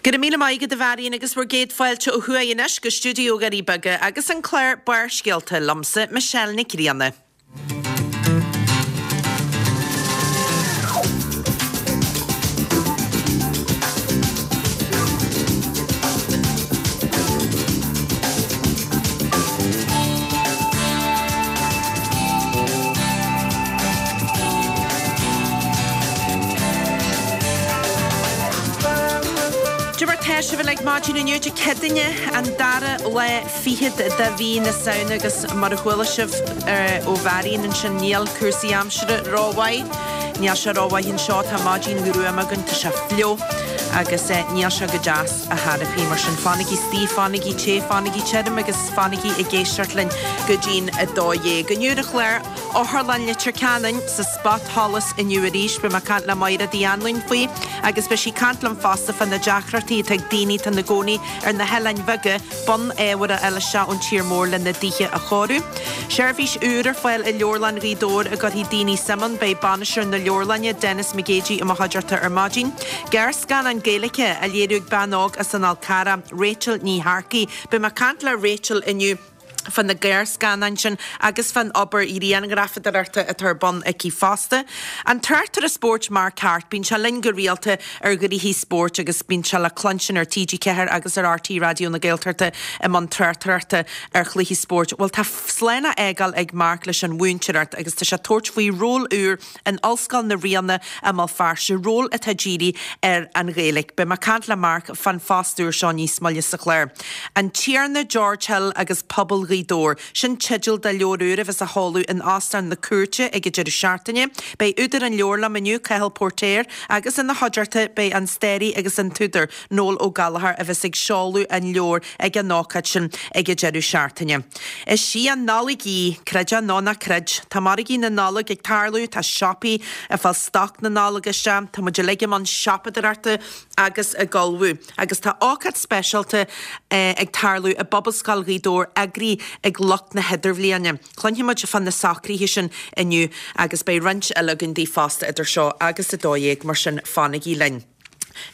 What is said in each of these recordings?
Go raibh míle maith agat a Mharion agus bhur gcéad fáilte ó thuaidh anois go stiúideo Dhoirí Beaga agus an clár Barrscéalta liomsa, Michelle Nic Grianna. Cad é mar tá sibh uilig maidin inniu Dé Céadaoine, an dara lá fichead de mhí na Samhna agus mar a chuala sibh ó Mharion ansin níl cúrsaí aimsire rómhaith. Níl sé rómhaith anseo, tá maidin ghruama againn, tá sé fliuch agus níl sé go deas ar chor ar bith. Mar sin fanaigí istigh, fanaigí te, fanaigí tirim agus fanaigí ag éisteacht linn go dtí'n 12. Inniu ar an chlár, Otharlann Leitir Ceanainn sa spotsholas inniu arís. Beidh mé ag caint le Mairéad Uí Anluain faoi agus beidh sí ag caint liom fosta fá na deacrachtaí atá ag daoine atá ina gcónaí ar na hoileáin bheaga bonn ábhair a fháil isteach ón tír mór lena dtithe a chóiriú. Seirbhís úr ar fáil i Leabharlann Ghaoth Dobhair a gcuirfidh daoine suim ann. Beidh bainisteoir na leabharlainne, Denis Mac Géidigh i mo chuideachta ar maidin. Gearrscannán Gaeilge á léiriú ag bean óg as an Fhál Carrach, Rachel Ní Shearcaigh. Beidh mé ag caint le Rachel inniu. fá na gearrscannáin sin agus fán obair ghrianghrafadóireachta atá ar bun aici fosta. An tráchtaire spóirt Mark Harte, bíonn sé linn go rialta ar ghnoithí spóirt agus bíonn sé le cluinstin ar TG4 agus ar RTÉ Raidió na Gaeltachta i mbun tráchtaireachta ar chluichí spóirt. Bhuel tá slán á fhágáil ag Mark leis an mhúinteoireacht agus tá sé ag tabhairt faoi ról úr in Ollscoil na Ríona i mBéal Feirste, ról atá dírithe ar an Ghaeilge. Beidh mé ag caint le Mark fán phost úr seo níos moille sa chlár. An Tiarna George Hill agus Pobal Ghaoth Dobhair, sin teideal de leabhar úr a bheas á sheoladh in Óstán na Cúirte ag an deireadh seachtaine. Beidh údar an leabhair liom inniu, Cathal Póirtéir, agus ina chuideachta beidh an staraí agus an t-údar, Noel Ó Gallchóir a bheas ag seoladh an leabhair ag an ócáid sin ag an deireadh seachtaine. Is í an Nollaig í, creid é nó ná creid. Tá margaí na Nollag ag tarlú, tá siopaí ag fáil stoc na Nollag isteach, tá muid uilig i mbun siopadóireachta agus ag ullmhú. Agus tá ócáid speisialta ag tarlú i bPobalscoil Ghaoth Dobhair eagraithe ag lucht na hIdirbhliana. Cluinfidh muid fá na socruithe sin inniu agus beidh roinnt eile againn daoibh fosta idir seo agus 12, mar sin fanaigí linn.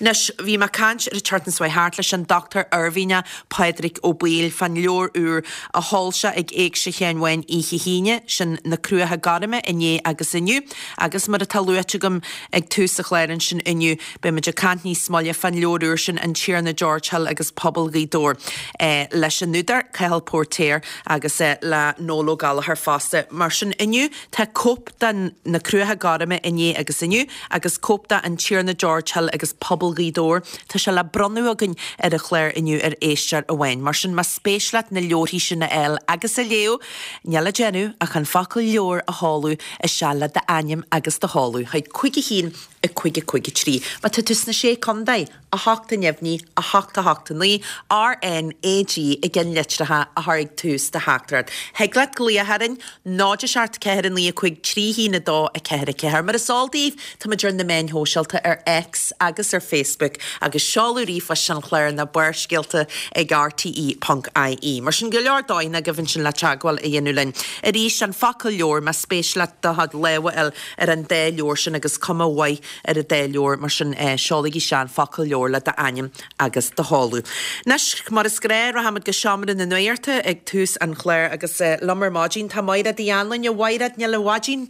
Anois, bhí mé ag caint ar an tseachtain seo chuaigh thart leis an Dr Oirmhinneach Pádraig Ó Baoill fán leabhar úr a sheol sé ag Éigse Sheáin Bháin oíche hAoine, sin Na Cruacha Gorma, Inné agus Inniu. Agus mar atá luaite agam ag tús an chláir ansin inniu, beidh muid ag caint níos moille fán leabhar úr sin, An Tiarna George Hill agus Pobal Ghaoth Dobhair, leis an údar, Cathal Póirtéir, agus le Noel Ó Gallchóir fosta. Mar sin, inniu tá cóip de Na Cruacha Gorma, Inné agus Inniu, agus cóip de An Tiarna George Hill agus Pobal Ghaoth Dobhair. Tá sé le bronnadh againn ar an chlár inniu ar éisteoir amháin. Mar sin, más spéis leat na leabharthaí sin a fháil agus a léamh, níl le déanamh ach an focal leabhar a sheoladh isteach le d'ainm agus do sheoladh chuig 5 1 5 5 3. Má tá tú sna Sé Contae, 8 a neamhní, 8 8 9, RNAG i gceannlitreacha a chur ag tús do theachtaireacht. Thig leat glaoch orainn, 0 7 4 9 5 3 1 2 4 4. Mar is eol daoibh, táimid ar na meáin shóisialta ar X agus ar Facebook agus seoladh ríomhphoist an chláir ná Barrscéalta ag rte.ie. Mar sin, go leor dóigheanna agaibh ansin le teagmháil a dhéanamh linn. Arís, an focal leabhar, más spéis leat do chuid lámh a fháil ar an dá leabhar sin agus cuma mhaith ar an dá leabhar, mar sin seolaigí isteach an focal leabhar le d'ainm agus do sheoladh. Anois, mar is gnáth, rachaimid go seomra na nuachta ag tús an chláir agus liom ar maidin tá Maighread Uí Anluain. A Mhaighread, níl an mhaidin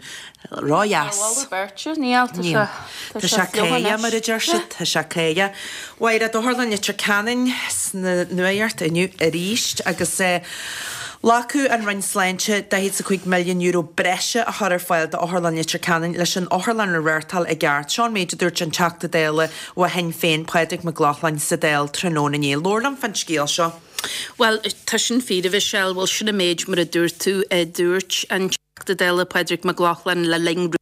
ródheas. Tá mholadh beirte, níl, tá sé, tá sé cáidheach, mar a deir siad, tá sé cáidheach. Mhaighread, Otharlann Leitir Ceanainn sna nuacht inniu arís agus Glacadh an Roinn Sláinte €45 milliún breise a chur ar fáil d'Otharlann Leitir Ceanainn leis an otharlann a reáchtáil i gceart. Seo an méid a dúirt an Teachta Dála ó Shinn Féin, Pádraig Mac Lochlainn sa Dáil tráthnóna inné. Labhair liom fán scéal seo. Bhuel, tá sin fíor, a Mhichelle. Bhuel, sin an méid, mar a dúirt tú, a dúirt an Teachta Dála Pádraig Mac Lochlainn le linn rún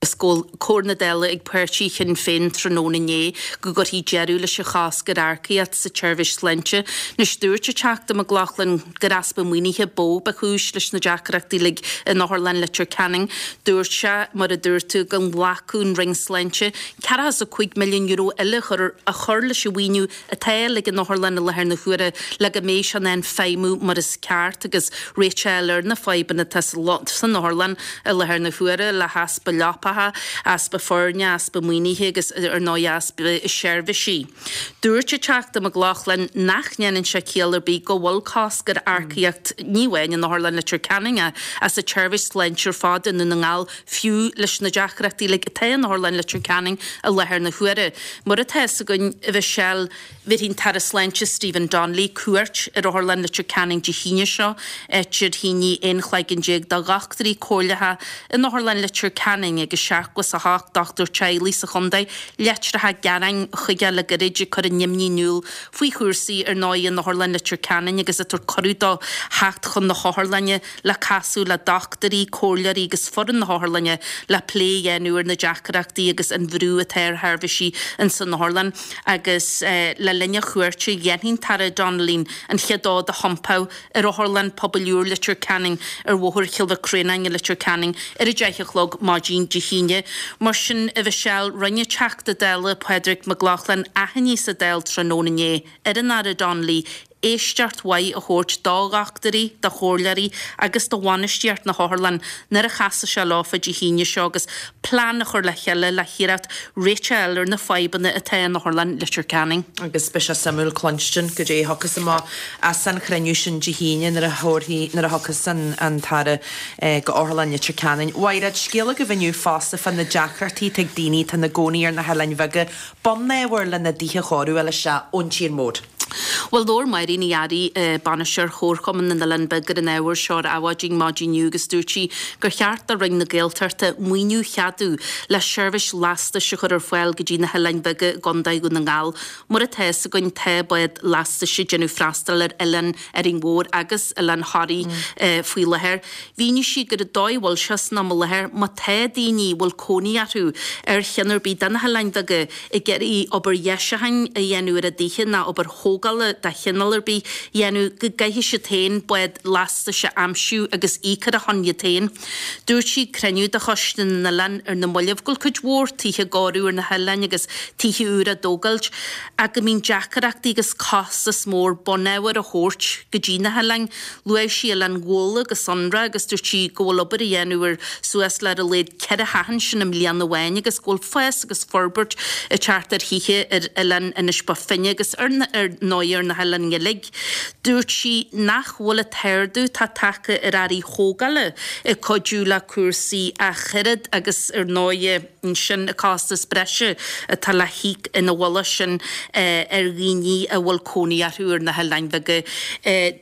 os comhair na Dála ag páirtí Shinn Féin tráthnóna inné go gcuirfí deireadh leis an chosc ar earcaíocht sa tseirbhís sláinte. Anois dúirt an Teachta Mac Lochlainn gur easpa maoinithe ba mhó ba chúis leis na deacrachtaí uilig in Otharlann Leitir Ceanainn. Dúirt sé, mar a dúirt tú, go nglacfadh an Roinn Sláinte €45 milliún eile a chur leis an mhaoiniú atá ag an otharlann i láthair na huaire le go mbeidh sé in ann feidhmiú mar is ceart agus réiteach a fháil ar na fadhbanna atá san otharlann i láthair na huaire le heaspa leapacha. easpa foirne, easpa maoinithe agus ar ndóigh easpa seirbhísí. Dúirt an Teachta Mac Lochlainn nach ndéanann sé ciall ar bith go bhfuil cosc ar earcaíocht ní amháin in Otharlann Leitir Ceanainn ach sa tseirbhís sláinte ar fad i nDún na nGall fiú leis na deacrachtaí uilig atá in Otharlann Leitir Ceanainn i láthair na huaire. Mar atá fhios againn, a Mhichelle, Bhéarfaidh an tAire Sláinte Stephen Donnelly cuairt ar Otharlann Leitir Ceanainn Dé hAoine seo, áit ar shínigh 11 chloigeann de dhochtúirí comhairleacha in Otharlann Leitir Ceanainn agus 78 dochtúir teaghlaigh sa chontae litreacha gearáin chuige le gairid ag cur a n-imní in iúl faoi chúrsaí ar ndóigh in Otharlann Leitir Ceanainn agus ag tabhairt cuireadh dó theacht chun na hotharlainne le casadh le dochtúirí, comhairleoirí agus foireann na hotharlainne le plé a dhéanamh ar na deacrachtaí agus an bhrú atá ar sheirbhísí ins an otharlann. Agus le linn a chuairte, dhéanfaidh an tAire Donnelly an chéad fhód a thiompú ar Otharlann Pobail úr Leitir Ceanainn ar Bhóthar Chill Mhic Réanáin i Leitir Ceanainn ar a 10 a chlog maidin Dé hAoine. Mar sin, a Mhichelle, rinne Teachta Dála Pádraig Mac Lochlainn achainí sa Dáil tráthnóna inné ar an Aire Donnelly éisteacht mhaith a thabhairt do dhochtúirí, do chomhairleoirí agus do bhainistíocht na hotharlainne nuair a chasfaidh sé leofa Dé hAoine seo agus plean a chur le chéile le hiarracht réiteach a fháil ar na fadhbanna atá in Otharlann Leitir Ceanainn. Agus beidh sé suimiúil cluinstin goidé a thiocfas amach as an chruinniú sin Dé hAoine nuair a thabharfaidh, nuair a thiocfas an an tAire go Otharlann Leitir Ceanainn. Mhaighread, scéal agaibh inniu fosta fá na deacrachtaí atá ag daoine atá ina gcónaí ar na hoileáin bheaga bunábhar lena dtithe a chóiriú a fháil isteach ón tír mór. Bhuel, labhair Máirín Uí Fhearraigh, Bainisteoir Chomharchumann na nOileán Beag ar an ábhar seo ar Adhmhaidin maidin inniu agus dúirt sí gur cheart do Roinn na Gaeltachta maoiniú a cheadú le seirbhís lastais a chur ar fáil go dtí na hoileáin bheaga i gContae Dhún na nGall. Mar atá fhios againn tá bád lastais ag déanamh freastal ar oileán Árainn Mhór agus oileán Thoraí faoi láthair. Mhínigh sí gur an dóigh a bhfuil sé san am i láthair má tá daoine a bhfuil cónaí orthu ar cheann ar bith de na hoileáin bheaga ag iarraidh obair dheisiúcháin a dhéanamh ar a dtithe ná obair thógála de chineál ar bith a dhéanamh go gcaithfidh siad féin bád lastais a aimsiú agus íoc ar a shon iad féin. Dúirt sí ag cruinniú de Choiste na nOileán ar na mallaibh go bhfuil cuid mhór tithe á gcóiriú ar na hoileáin agus tithe úra á dtógáilt ach go mbíonn deacrachtaí agus costas mór bunábhar a thabhairt go dtí na hoileáin. Luaigh sí Oileán Ghabhla go sonrach agus dúirt sí go bhfuil obair á dhéanamh ar suas le ar a laghad 4 theach ansin i mbliain amháin agus go bhfuil fás agus forbairt ag teacht ar thithe ar oileán Inis Bó Finne agus ar ndóigh ar na hoileáin uilig. Dúirt sí nach bhfuil an t-ardú atá tagtha ar earraí thógála ag cuidiú le cúrsaí ach oiread agus ar ndóigh, Ansin an costas breise atá le híoc ina mhullach sin ar dhaoine a bhfuil cónaí orthu ar na hoileáin bheaga.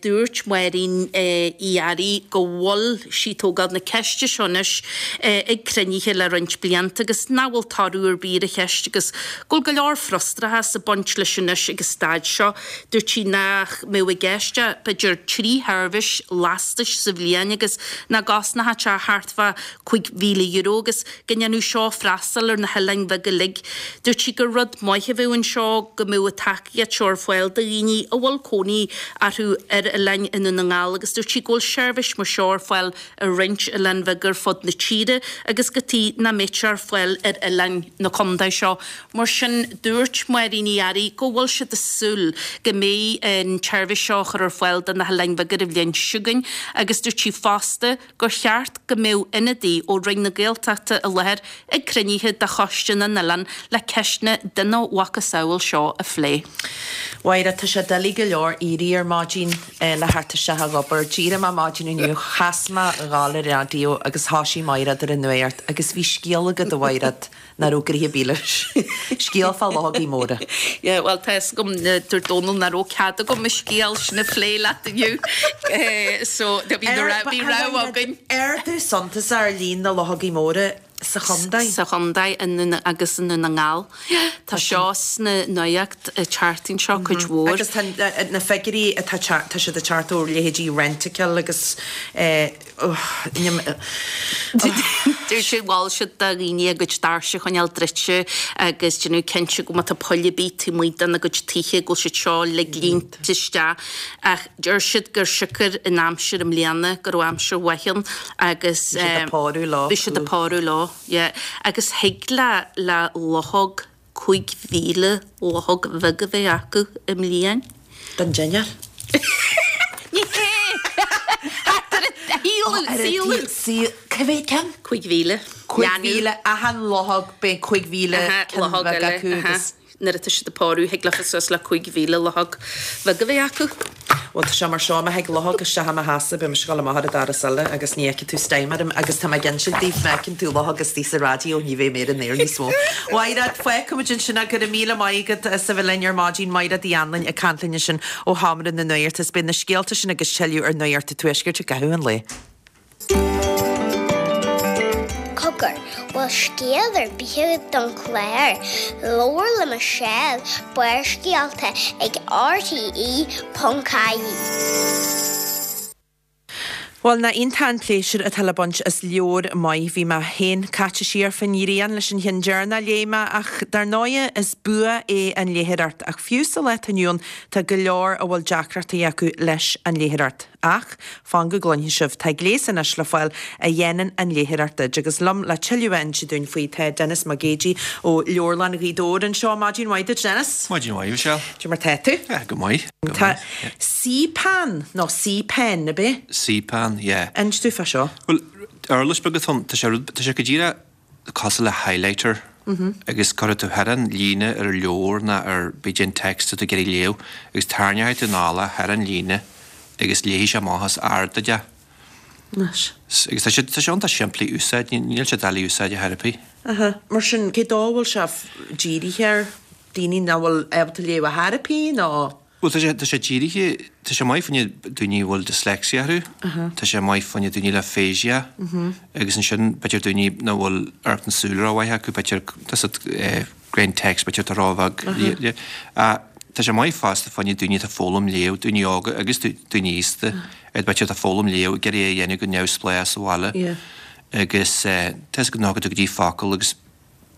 Dúirt Máirín Uí Fhearraigh go bhfuil sí ag tógáil na ceiste seo anois ag cruinnithe le roinnt blianta agus nach bhfuil toradh ar bith ar an cheist agus go bhfuil go leor frustrachas ag baint leis anois ag an staid seo. Dúirt sí nach mbeadh i gceist ach b'fhéidir 3 sheirbhís lastais sa bhliain agus nach gcosnódh sé thart fá €5,000 agus go ndéanfadh seo freastal ar na hoileáin bheaga uilig. Dúirt sí gur rud maith a bheadh anseo go mbeadh an tacaíocht seo ar fáil do dhaoine a bhfuil cónaí orthu ar oileáin i nDún na nGall agus dúirt sí go bhfuil seirbhís mar seo ar fáil i roinnt oileáin bheaga ar fud na tíre agus cad chuige nach mbeadh sé ar fáil ar oileáin na contae seo. Mar sin, dúirt Máirín Uí Fhearraigh go bhfuil siad ag súil go mbeidh an tseirbhís seo á chur ar fáil do na hoileáin bheaga ar an bhliain seo chugainn agus dúirt sí fosta gur cheart go mbeadh ionadaí ó Roinn na Gaeltachta i láthair ag cruinnithe de Choiste na nOileán le ceisteanna dena mhacasamhail seo a phlé. Mháire, tá sé doiligh go leor éirí ar maidin le theacht isteach ag obair. D'éirigh mé maidin inniu, chas mé a dhul ar an raidió agus thoisigh Maighread ar an nuacht agus bhí scéal agat a Mhaighread. Nach raibh gnoithe ar bith leis. Scéal fá luchógaí móra. Yeah, bhuel, tá fhios agam, dúirt Dónal nach raibh cead agam an scéal sin a phlé leat inniu. So, bhí bhí rogha againn. Ardú suntasach ar líon na luchógaí móra sa chontae. Sa chontae i nDún agus i nDún na nGall. Tá seo sna nuacht an tseachtain seo cuid mhór. Agus tá na figiúirí atá tá siad ag teacht ó leithéidí Rentokil agus Dúirt siad, mhol siad do dhaoine a gcuid doirse a choinneáil druidte agus déanamh cinnte go má tá poill ar bith taobh amuigh dena gcuid tithe go bhfuil siad seo uilig líonta isteach. Ach deir siad gur siocair an aimsir i mbliana go raibh aimsir mhaith ann agus Bhí siad ag pórú leo. Bhí siad ag pórú leo, yeah. Agus thig le le luchóg 5,000 luchóg bheag a bheith acu i mbliain. Don dinnéar. Ní hé! Thart ar a shaol, saol. Cá mhéad ceann? 5,000. 5,000 achan luchóg, beidh 5,000 ceann bheag acu agus. Nuair atá siad ag pórú, thig leofa suas le 5,000 luchóg bheag a bheith acu. Bhuel, tá sé mar seo, má thig luchóg isteach i mo theachsa, beidh mise ag dul amach ar an doras eile agus ní fheicfidh tú stime orm agus tá mé ag insint daoibh, má fheiceann tú luchóg istigh sa raidió, ní bheidh mé ar an aer níos mó. Maighread, fágfaimid ansin é, go raibh míle maith agat as a bheith linn ar maidin, Maighread Uí Anluain ag caint linn ansin ó Sheomra na Nuachta is beidh na scéalta sin agus tuilleadh ar Nuacht an Tuaiscirt i gcaitheamh an lae. Cogar, bhfuil scéal ar bith agat don chlár? Labhair le Michelle, Barrscéalta ag RTE.ie. Bhuel, nach iontach an pléisiúr atá le baint as leabhar maith. Bhí mé féin caite siar fán ghrian leis an cheann deireanach a léigh mé, ach dar ndóighe is bua é an léitheoireacht. Ach fiú sa lá atá inniu ann, tá go leor a bhfuil deacrachtaí acu leis an léitheoireacht. Ach, fan go gcluinfidh sibh, tá gléas anois le fáil a dhéanann an léitheoireacht duit. Agus liom le tuilleadh a inse dúinn faoi tá Denis Mac Géidigh ó Leabharlann Ghaoth Dobhair anseo. Maidin mhaith duit, Denis. Maidin mhaith, Michelle. Cad é mar tá tú? Yeah, go maith. Go Tá maith, yeah. C-Pen, nó C-Pen, ab é? C-Pen, yeah. Inis dúinn fá seo. Bhuel, uirlis beag atá ann. Tá sé rud, tá sé go díreach cosúil le highlighter agus cuirfidh tú thar an líne ar an leabhar nó ar bith cén text atá tú ag iarraidh léamh agus tarraingeoidh tú anall é thar an líne agus léifidh sé amach os ard duit é. Anois. Agus tá sé, tá sé iontach simplí a úsáid, níl sé doiligh a úsáid ar chor ar bith. Aha. Mar sin, cé dó a bhfuil sé dírithe ar? Daoine nach bhfuil ábalta léamh ar chor ar bith nó? Bhuel, tá sé, tá sé dírithe, tá sé maith fá choinne daoine a bhfuil dyslexia orthu, tá sé maith fá choinne daoine le aphasia agus ansin b'fhéidir daoine nach bhfuil amharc na súl rómhaith acu, b'fhéidir, tá siad ag an text b'fhéidir atá róbheag le, tá sé maith fosta fá choinne daoine atá ag foghlaim léamh, daoine óga agus daoine aosta, b'fhéidir atá ag foghlaim léamh, ag iarraidh é a dhéanamh go neamhspleách sa bhaile agus tá a fhios agat nuair a thagann tú go dtí focal agus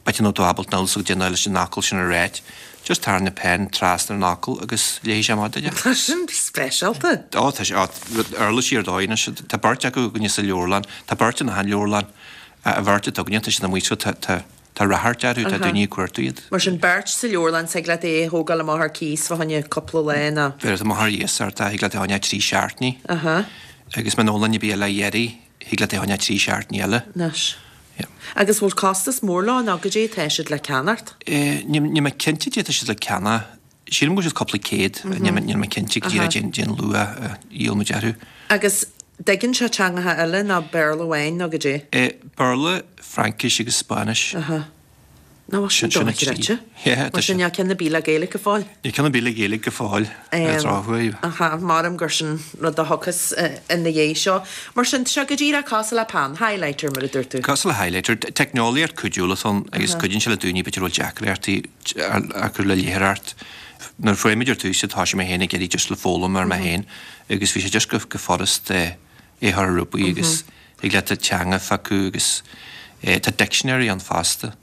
B'fhéidir nach bhfuil tú ábalta níl a fhios agat cad é leis an fhocal sin a ráit. Just tarraing an peann trasna ar an fhocal agus léifidh sé amach duit é. Tá sin speisialta. Ó, tá sé, ó, uirlisí ar dóigh anois. Tá beirt acu againne sa leabharlann. Tá beirt in achan leabharlann. An bheirt atá againne, tá siad amuigh so tá, tá, tá ráchairt orthu, tá daoine ag cuartú iad. Mar sin, beirt sa leabharlann, thig leat é a thógáil amach ar cíos fá choinne cúpla lá nó. Bheir amach ar iasacht, thig leat é a choinneáil 3 seachtainí. Agus má níl duine ar bith eile á iarraidh, thig leat é a choinneáil 3 seachtainí eile. Anois. Agus bhfuil costas mór leo nó goidé tá siad le ceannacht? Níl mé cinnte goidé tá siad le ceannach. Sílim go bhfuil siad cúpla céad, níl mé cinnte go díreach cén luach a dhíol muid orthu. Agus dtuigeann sé teangacha eile nó Béarla amháin nó goidé? Béarla, Fraincis agus Spáinnis. Nach bhfuil sin dochreidte? Mar sin níl ceann ar bith le Gaeilge go fóill. Níl ceann ar bith le Gaeilge go fóill, ar an drochuair. Aha, maram gur sin rud a thiocfas ina dhiaidh seo. Mar sin, tá sé go díreach cosúil le peann, highlighter mar a dúirt tú. Cosúil le highlighter. Teicneolaíocht cuidiúil atá ann agus cuidíonn sé le daoine b'fhéidir a bhfuil deacrachtaí acu le léitheoireacht. Nuair a fuair muid ar tús é thosaigh mé féin ag iarraidh just le foghlaim ar mé féin agus bhí sé just go furast é a chur ar obair agus thig leat an teanga a phiocadh agus tá dictionary ann fosta.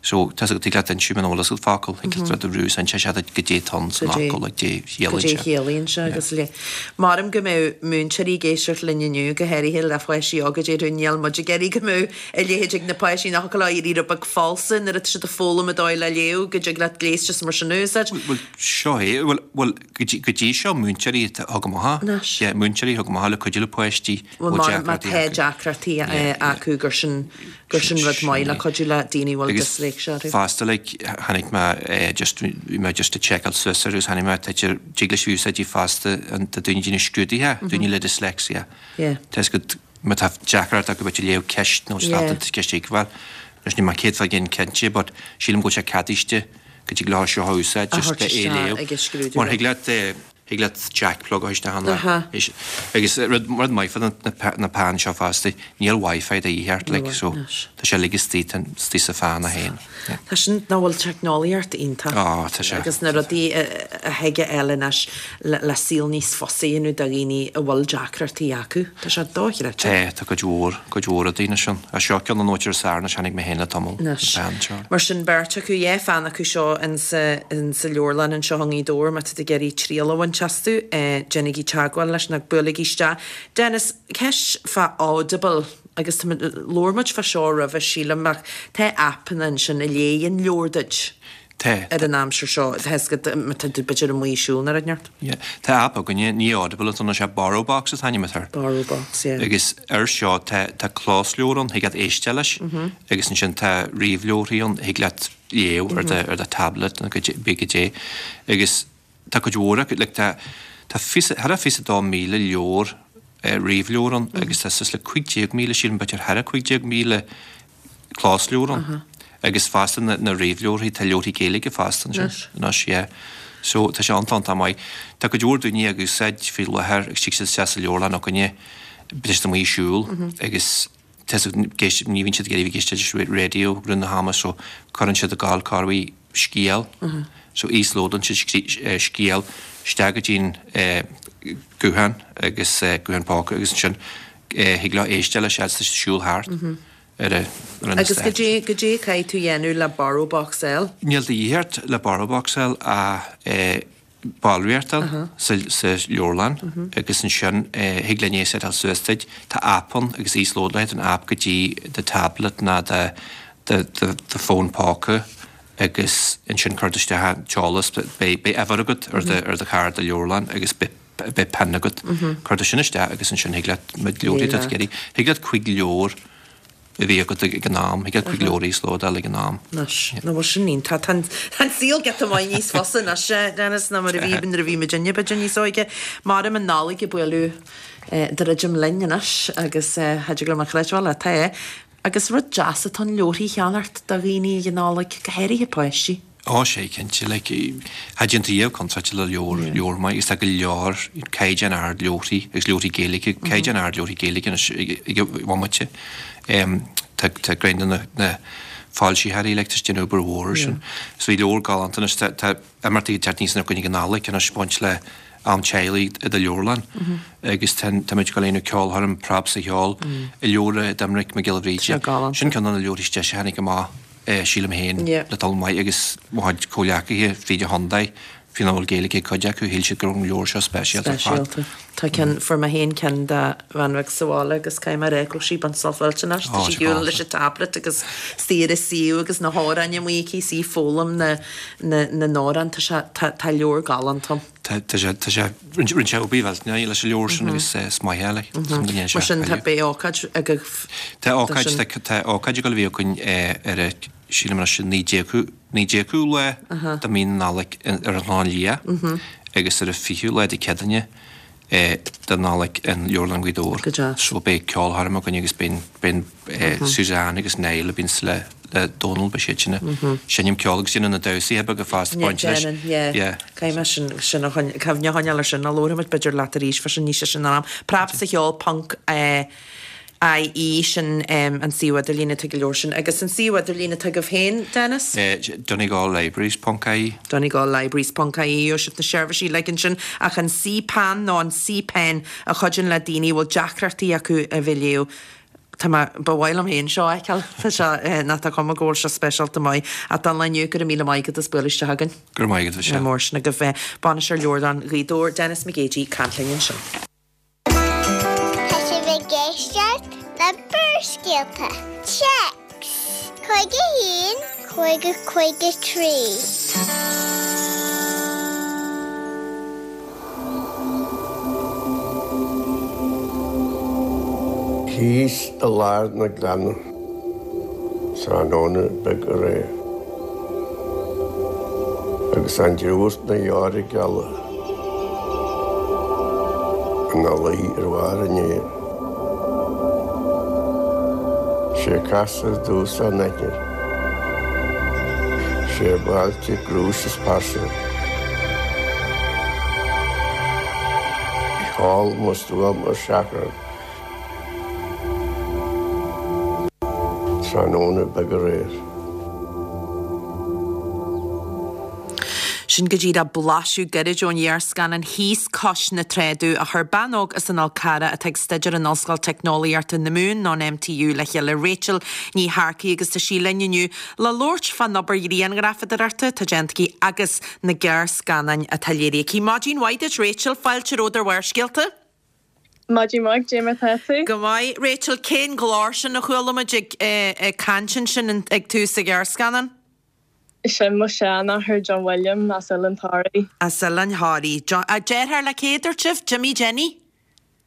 So tá thig leat aimsiú muna bhfuil fhios agat focal, thig leat rud a bhrú is inseoidh sé duit goidé atá ann san fhocal like goidé chiallaíonn sé. Goidé chiallaíonn sé agus le. Maram go mbeadh múinteoirí ag éisteacht linn inniu, go háirithe le páistí óga déarfainn níl muid ag iarraidh go mbeadh a leithéid ag na páistí nach bhfuil á iarraidh rud beag falsa nuair atá siad ag foghlaim an dóigh le léamh go dtig leat gléas just mar sin a úsáid. Bhuel seo é, bhuel, bhuel go dtí seo múinteoirí a thug amach, yeah, múinteoirí a thug amach le cuidiú le páistí Bhuel má tá deacrachtaí acu gur sin gur sin rud maith le cuidiú le daoine a bhfuil disléicse orthu. Fosta like tháinig mé just bhí mé just ag seiceáil suas air agus tháinig mé tá tig leis úsáidí fosta an tá daoine ag déanamh scrúduithe daoine le dyslexia. Tá fhios agat má tá deacracht acu b'fhéidir léamh ceist nó stop ceist ag bhfuil anois níl mé 100% cinnte but sílim go bhfuil sé ceadaíste go dtig leo seo a úsáid just le é léamh. Mar thig leat Thig leat jack plug a chur isteach ann leis. Agus rud rud maith fá na pens seo fosta, níl Wi-Fi de dhíth ort like so tá sé uilig istigh istigh sa pheann é féin. Tá sin, nach bhfuil teicneolaíocht iontach. Ó, tá sé. Agus na rudaí a thig a fháil anois le saol níos fusa a dhéanamh do dhaoine a bhfuil deacrachtaí acu. Tá sé dochreidte. Tá, tá cuid mhór, cuid mhór rudaí anois ann. Ach seo ceann an áit is fearr anois tháinig mé féin le tamall, an peann seo. Mar sin, beirt acu, dhá pheann acu seo insa leabharlann anseo i nGaoth Dobhair, má tá tú ag iarraidh triail a bhaint astu, déanaigí teagmháil leis nó buailigí isteach. Dennis, ceist fá Audible, agus tá muid, labhair muid fá seo roimhe, sílim, ach tá aipeanna ansin a léigheann leabhar duit. Tá. ar an aimsir seo, tá fhios agat, má tá tú b'fhéidir amuigh ag siúl nó rud inteacht. Yeah. Tá aip againne, ní Audible atá ann, is é Borrowbox an t-ainm atá air. Borrowbox, yeah. Agus air seo tá, tá closleabhar ann, thig leat éisteacht leis agus ansin tá ríomhleabharthaí ann, thig leat léamh ar do, ar do tablet nó cibé goidé. Agus tá cuid mhór acu, like tá, tá fiche, thar a 22,000 leabhar, ríomhleabhar ann agus tá suas le 15,000, sílim, b'fhéidir thar a 15,000 closleabhar ann. Agus fosta na, na ríomhleabharthaí, tá leabharthaí Gaeilge fosta ansin. Anois, yeah. So, tá sé iontach, iontach maith. Tá cuid mhór daoine ag úsáid faoi láthair agus tig siad isteach sa leabharlann againne, tá siad amuigh ag siúl agus tá siad ag éist, ní bhíonn siad ag iarraidh a bheith ag éisteacht leis an raidió i rith na hama so cuireann siad ag gabháil corruair scéal. So íoslódálann siad scéal isteach go dtí'n guthán agus guthán póca agus ansin thig leo éisteacht leis agus iad ag siúl thart ar a ar an Agus goidé, goidé a chaithfidh tú dhéanamh le Borrowbox a fháil? Níl de dhíth ort le Borrowbox a fháil ach ballraíocht a fháil sa leabharlann agus ansin thig linn é a setáil suas duit. Tá aip ann agus íoslódáilfidh tú an aip go dtí do tablet ná do do fón póca agus ansin cuir isteach an t-eolas, beidh uimhir agat ar do ar do chárta leabharlann agus beidh beidh pin agat. Cuir tú sin isteach agus ansin thig leat na leabharthaí atá tú ag iarraidh. Thig leat 5 leabhar a bhí agat ag an am, thig leat 5 leabhar a íoslódáil ag an am. Anois, nach bhfuil sin iontach. Tá an saol giota maith níos fusa anois, Dennis, ná mar a bhí nuair a bhí muidinne b'fhéidir níos óige. Maram an Nollaig ag bualadh druidim linn anois agus cha dtig liom a chreidbheáil, tá. Agus rud deas atá ann leabharthaí a cheannacht do dhaoine ag an Nollaig, go háirithe páistí. Ó sea, cinnte. Like, cha dtéann tú riamh contráilte le leabhar, leabhar maith agus tá go leor caighdeán ard leabharthaí agus leabharthaí Gaeilge, caighdeán ard leabharthaí Gaeilge anois ag an bhomaite. Tá, tá roinnt de na, na foilsitheoirí, like, tá siad ag déanamh obair mhór ar sin. So bhí leabhar galánta anois, tá, tá imeachtaí ag teacht aníos againn ag an Nollaig anois ag baint le am teaghlaigh i do leabharlann agus tá muid ag dul a dhéanamh ceolchoirm Preab sa Cheol, i leabhar a d'Aimric Mac Giolla Bhríde. Sin ceann de na leabharthaí is deise a tháinig amach, sílim féin, le tamall maith agus mo chuid comhghleacaithe fríd an chontae, fiú nach bhfuil Gaeilge ag cuid acu, shíl siad go raibh an leabhar seo speisialta ar fad. Speisialta. Tá ceann, fuair mé féin ceann do bhean bheag sa bhaile agus caithfidh mé a rá go raibh sí ag baint sult mhillteanach as. Tá sí ag siúl leis an tablet agus is í ar a suíomh agus na hamhráin amuigh aici is í ag foghlaim na na na n-amhrán. Tá sé, tá, tá leabhar galánta ann. Tá, tá sé, tá sé, rinne sé obair mhillteanach leis an leabhar sin agus is maith é, like, go ndéanann sé Mar sin, tá, beidh ócáid agaibh Tá ócáid, tá, tá ócáid ag dul a bheith againn ar a, sílim anois, an 19ú, 19ú lá de mhí na Nollag ar an Chlochán Liath agus ar an 20ú lá Dé Céadaoine de Nollaig in Leabharlann Ghaoth Dobhair. Go deas. So beidh ceolchoirm againn agus beidh, beidh Suzanne agus Niall a bíonns le, le Dónal, beidh siad sin ag seinm ceoil agus déanamh na damhsaithe beaga fosta ag baint leis. Déanann, yeah. Yeah. Caithfidh mé sin, sin a choin-, cuimhne a choinneáil ar sin, nó labharfaidh muid b'fhéidir leat arís fá sin, níl sé sin in am. Preab sa Cheol ponc IE, sin an suíomh idirlín atá ag an leabhar sin. Agus an suíomh idirlín atá agaibh féin, Dennis? Donegallibraries ponc IE. Donegallibraries ponc IE, gheobhaidh sibh na seirbhísí uilig ansin, ach an C-Peann nó an C-Pen a chuidíonn le daoine a bhfuil deacrachtaí acu a bheith ag léamh. Tá mé, ba mhaith liom féin seo a fheiceáil, tá sé, nach tá cuma go bhfuil sé speisialta maith. Ach don lá inniu, go raibh míle maith agat as bualadh isteach chugainn. Go raibh maith agat, Michelle. Mór sin agaibh. Bainisteoir Leabharlann Ghaoth Dobhair, Denis Mac Géidigh, ag caint linn ansin. Tá sibh ag éisteacht le Barrscéalta. Téacs 51 50 53. Thíos i lár na gleanna tráthnóna beag aréir agus an diamhair na dheora geala ina luí ar bharr an fhéir. Sé casadh ar dtús dá n-aithne, sé bailte, grúis is pearsa. Thall mo stuaim ar seachrán. Tráthnóna beag aréir. Sin go díreach blaiseadh gairid ón ghearrscannán Thíos Cois na Trá Dubh a chuir bean óg as an Fhál Carrach atá ag staidéar in Ollscoil Teicneolaíochta na Mumhan, nó an MTU, le chéile, Rachel Ní Shearcaigh agus tá sí linn inniu le labhairt fán obair ghrianghrafadóireachta atá déanta aici agus na gearrscannáin atá léirithe aici. Maidin mhaith duit Rachel, fáilte romhat ar Bharrscéalta. Maidin mhaith, cad é mar tá tú? Go maith. Rachel, cén glór sin a chuala muid ag caint ansin ag tús an ghearrscannáin? Sin mo sheanathair John William as Oileán Thoraí. As Oileán Thoraí. John, a deartháir le cé a dúirt sibh? Jimmy Jenny?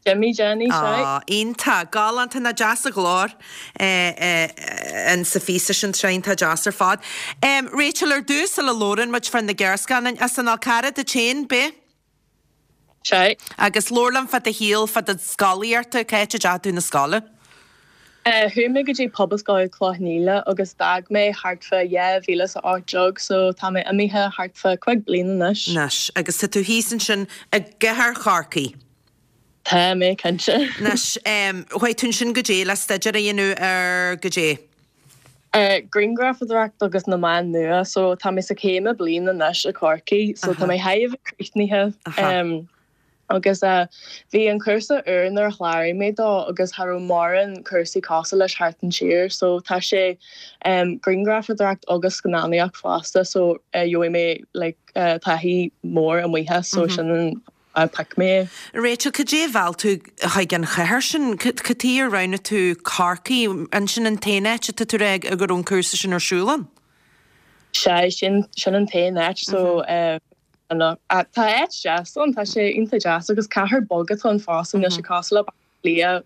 Jimmy Jenny, sea. Á, iontach. Galánta, nach deas a ghlór in sa phíosa sin, tá sé iontach deas ar fad. Rachel, ar dtús, sula labhrann muid fá na gearrscannáin, as an Fhál Carrach duit féin, b'ea? Sea. Agus labhair liom fá do shaol, fá do scolaíocht, cá háit a dteachaigh tú 'na scoile? Chuaigh mé go dtí Pobalscoil Chloich Cheann Fhaola agus d'fhág mé thart fá 2018 so tá mé imithe thart fá chuig bliain anois. Anois, agus tá tú thíos ansin i gcathair Chorcaí. Tá mé, cinnte. Anois, chuaigh tú ansin goidé le staidéar a dhéanamh ar goidé? Grianghrafadóireacht agus na meáin nua so tá mé sa chéad bliain anois i Corcaigh so tá mé thar a bheith críochnaithe agus bhí an cúrsa úr nuair a chláraigh mé dó agus cha raibh mórán cúrsaí cosúil leis thart an tír so tá sé grianghrafadóireacht agus scannánaíocht fosta so gheobhaidh mé like taithí mór amuigh as so sin an a phioc mé. Rachel, cad é a mheall tú chuig an chathair sin? Cad chuige ar roghnaigh tú Corcaigh? An sin an t-aon áit atá tú ag rá go raibh an cúrsa sin ar siúl ann? Sea, sin sin an t-aon áit so tá áit deas ann, tá sé iontach deas agus cathair bog atá ann fosta, níl sé cosúil le Baile Átha Cliath.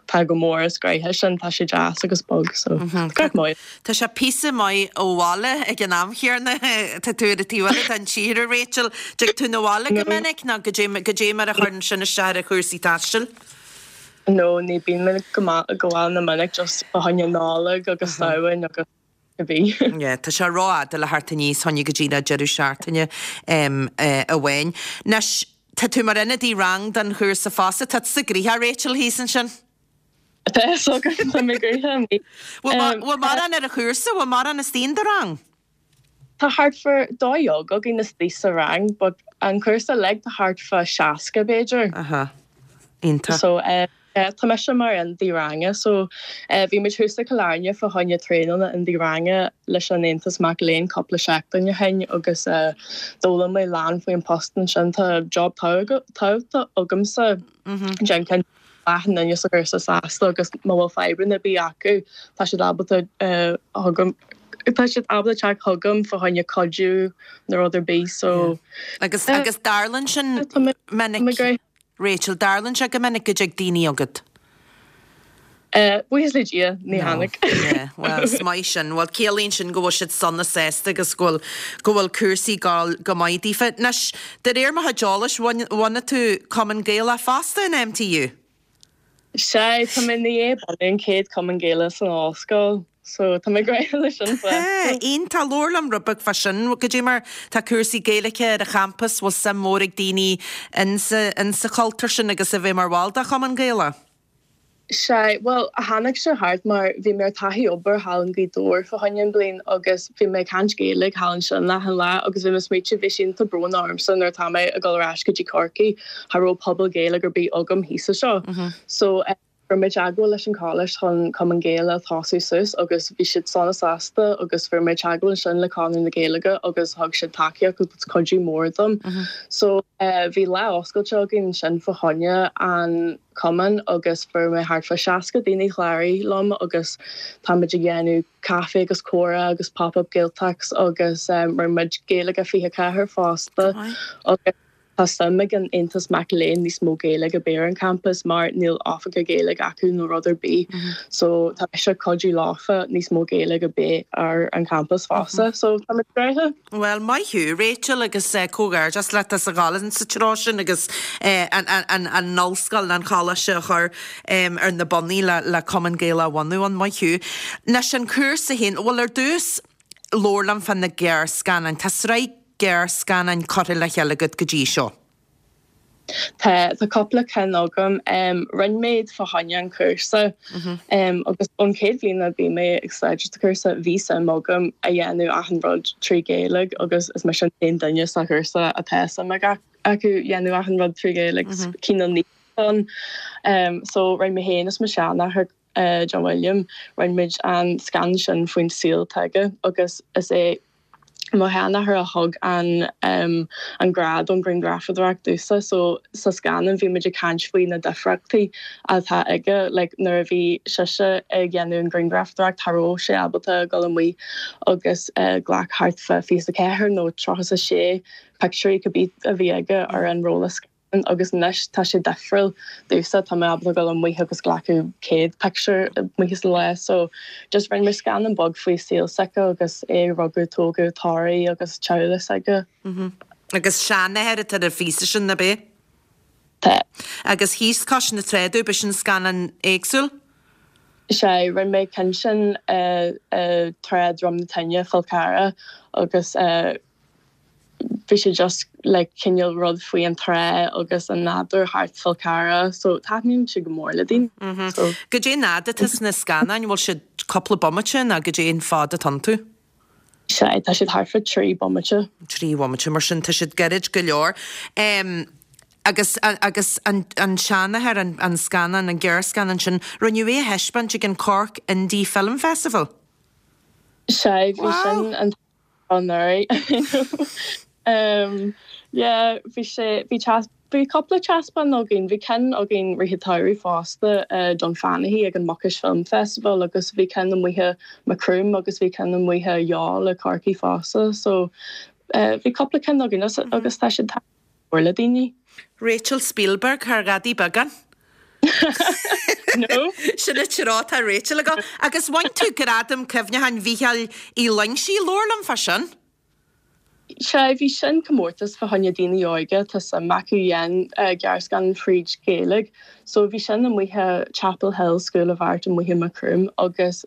Tá go mór is gnoitheach sin, tá sé deas agus bog so craic maith. Tá sé píosa maith ó bhaile ag an am chéanna. Tá tú ar an taobh eile den tír, a Rachel. Dtig tú 'na bhaile go minic nó goidé goidé mar a chuireann sin isteach ar chúrsaí taistil? No, ní bíonn mé go go minic just fá choinne Nollag agus Samhain agus cibé. Yeah, tá sé rófhada le theacht aníos fá choinne go díreach deireadh seachtaine amháin. Anois, tá tú mar ionadaí rang don chúrsa fosta. Tá tusa gnoitheach, Rachel, thíos ansin. Tá fhios agat, tá mé gnoitheach. Bhfuil mórán ar an chúrsa? Bhfuil mórán istigh in do rang? Tá thart fá 12 againn istigh sa rang, but an cúrsa uilig tá thart fá 60 b'fhéidir. Aha. Iontach. So, eh, tá mise mar ionadaí ranga so bhí muid thuas i Cill Airne fá choinne traenáil na n-ionadaí ranga leis an Aontas Mac Léinn cúpla seachtain ó shin agus d'fhoghlaim mé lán faoin post ansin. Tá job tábhachtach agamsa déanaim cinnte go bhfuil achan duine sa chúrsa sásta agus má bhfuil fadhbanna ar bith acu tá siad ábalta chugam tá siad ábalta teacht chugam fá choinne cuidiú nó rud ar bith so Agus agus tarlaíonn sin minic. Rachel, Tarlaíonn sé go minic go dtig daoine chugat? Buíochas le Dia, ní tháinig. Yeah, bhuel, is maith sin. Bhuel, ciallaíonn sin go bhfuil siad sona sásta agus go bhfuil, go bhfuil cúrsaí ag gabháil go maith daofa. Anois, de réir mo chuid eolais, bhunaigh tú Cumann Gaelach fosta in MTU? Sea, tá mé i ndiaidh bunú an chéad Cumann Gaelach san ollscoil. So tá mé gnoitheach leis sin fosta. Tá, iontach. Labhair liom rud beag fá sin. Goidé mar tá cúrsaí Gaeilge ar an champas, bhfuil suim mhór ag daoine insa, insa chultúr sin agus a bheith mar bhall de Chumann Gaelach? Sea, bhuel, tháinig sé thart mar bhí mé ar taithí obair thall in Gaoth Dobhair fá choinne an bliain agus bhí mé ag caint Gaeilge thall ansin achan lá agus bhí mé ag smaoitiú, bhí sé iontach brónach ormsa nuair atá mé ag dul ar ais go dtí Corcaigh, cha raibh pobal Gaeilge ar bith agam thíos anseo. So, Fuair mé teagmháil leis an Choláiste chun Cumann Gaelach a thosú suas agus bhí siad sona sásta agus fuair mé teagmháil ansin le Conradh na Gaeilge agus thug siad tacaíocht agus cuidiú mór dom. So bhí lá oscailte againn ansin fá choinne an cumann agus fuair mé thart fá 60 daoine chláraigh liom agus táimid ag dhéanamh caife agus comhrá agus pop up Gaeltalks agus rinne muid Gaeilge 24 fosta agus Tá suim ag an Aontas Mac Léinn níos mó Gaeilge a bheith ar an campas mar níl oifigeach Gaeilge acu nó rud ar bith so tá mise ag cuidiú leofa níos mó Gaeilge a bheith ar an campas fosta so tá muid gnoitheach. Bhuel, maith thú, Rachel, agus comhghairdeas leat as a ghabháil sa treo sin agus an ollscoil, an choláiste a chur ar na bonnaí le Cumann Gaelach a bhunú ann. Maith thú. Anois, an cúrsa féin, bhuel, ar dtús, labhair liom fá na gearrscannáin. Tá sraith gearrscannáin curtha le chéile agat go dtí seo? Tá, tá cúpla ceann agam. Rinne mé iad fá choinne an chúrsa agus ón chéad bhliain a bhí mé ag staidéar sa chúrsa bhí suim agam a dhéanamh achan rud trí Ghaeilge agus is mise an t-aon duine sa chúrsa atá suim acu dhéanamh achan rud trí Ghaeilge, cineál ní ann. So rinne mé féin is mo sheanathair John William, rinne muid an scannán sin faoin saol atá aige agus is é. Mo sheanathair a thug an an grá don ghrianghrafadóireacht domhsa so sa scannán bhí muid ag caint faoi na difríochtaí atá aige like nuair a bhí sise ag dhéanamh an ghrianghrafadóireacht cha raibh sé ábalta dul amuigh agus glac thart fá 24 nó 36 pictiúirí cibé a bhí aige ar an rolla agus anois tá sé difriúil domhsa, tá mé ábalta dul amuigh agus glacadh 100 pictiúr amuigh sa lá so just rinne mé scannán beag faoi saol s'aige agus é ag rugadh, tógadh, Toraigh agus teaghlach s'aige. Agus seanathair atá ar an phíosa sin, ab é? Tá. Agus thíos cois na trá dubh, b'shin scannán éagsúil? Sea, rinne mé ceann sin i Trá Dhroim na Toinne, Fál Carrach agus bhí sé just like cineál rud faoi an trá agus an nádúr thart Fál Carrach so taitníonn sé go mór le daoine so. Goidé an fhad atá sna scannáin, bhfuil siad cúpla bomaite nó goidé an fad atá iontu? Sea, tá siad thart fá 3 bomaite. 3 bhomaite, mar sin tá siad gairid go leor. Em agus agus an an seanathair, an an scannán, an gearrscannán sin, rinneadh é a thaispeáint ag an Cork Indie Film Festival? Sea, bhí sin an anuraidh. Yeah, bhí sé, bhí teas, bhí cúpla taispeáint againn, bhí ceann againn rith an tsamhraidh fosta i Dún Fionnachaidh ag an Mucais Film Festival agus bhí ceann amuigh i Macroom agus bhí ceann amuigh i Youghal i Corcaigh fosta so bhí cúpla ceann againn agus tá siad mór le daoine. Rachel Spielberg thar ghadaí beagán. No. Sin an treo atá Rachel ag dul. Agus bhain tú Gradam Cuimhneacháin Mhícheáil Uí Loingsigh, labhair liom fá sin. Sea, bhí sin comórtas fá choinne daoine óige atá suim acu dhéan gearrscannán fríd Ghaeilge. So bhí sin amuigh i Chapel Hill School of Art amuigh i Macroom agus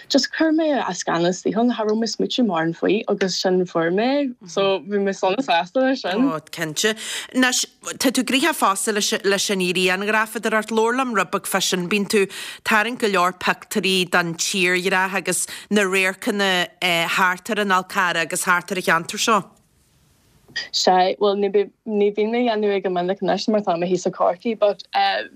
just chuir mé a scannán istigh ann, cha raibh mé ag smaoitiú mórán faoi agus sin fuair mé é. So bhí mé sona sásta leis sin. Ó, cinnte. Anois, tá tú gnoitheach fosta leis, leis an ghrianghrafadóireacht. Labhair liom rud beag fá sin. Bíonn tú ag tarraingt go leor pictiúirí den tírdhreach agus na radharcanna thart ar an Fhál Carrach agus thart ar an cheantar seo. Sea, bhuel ní ní bhíonn mé a dhéanamh é go minic anois mar tá mé thíos i Corcaigh but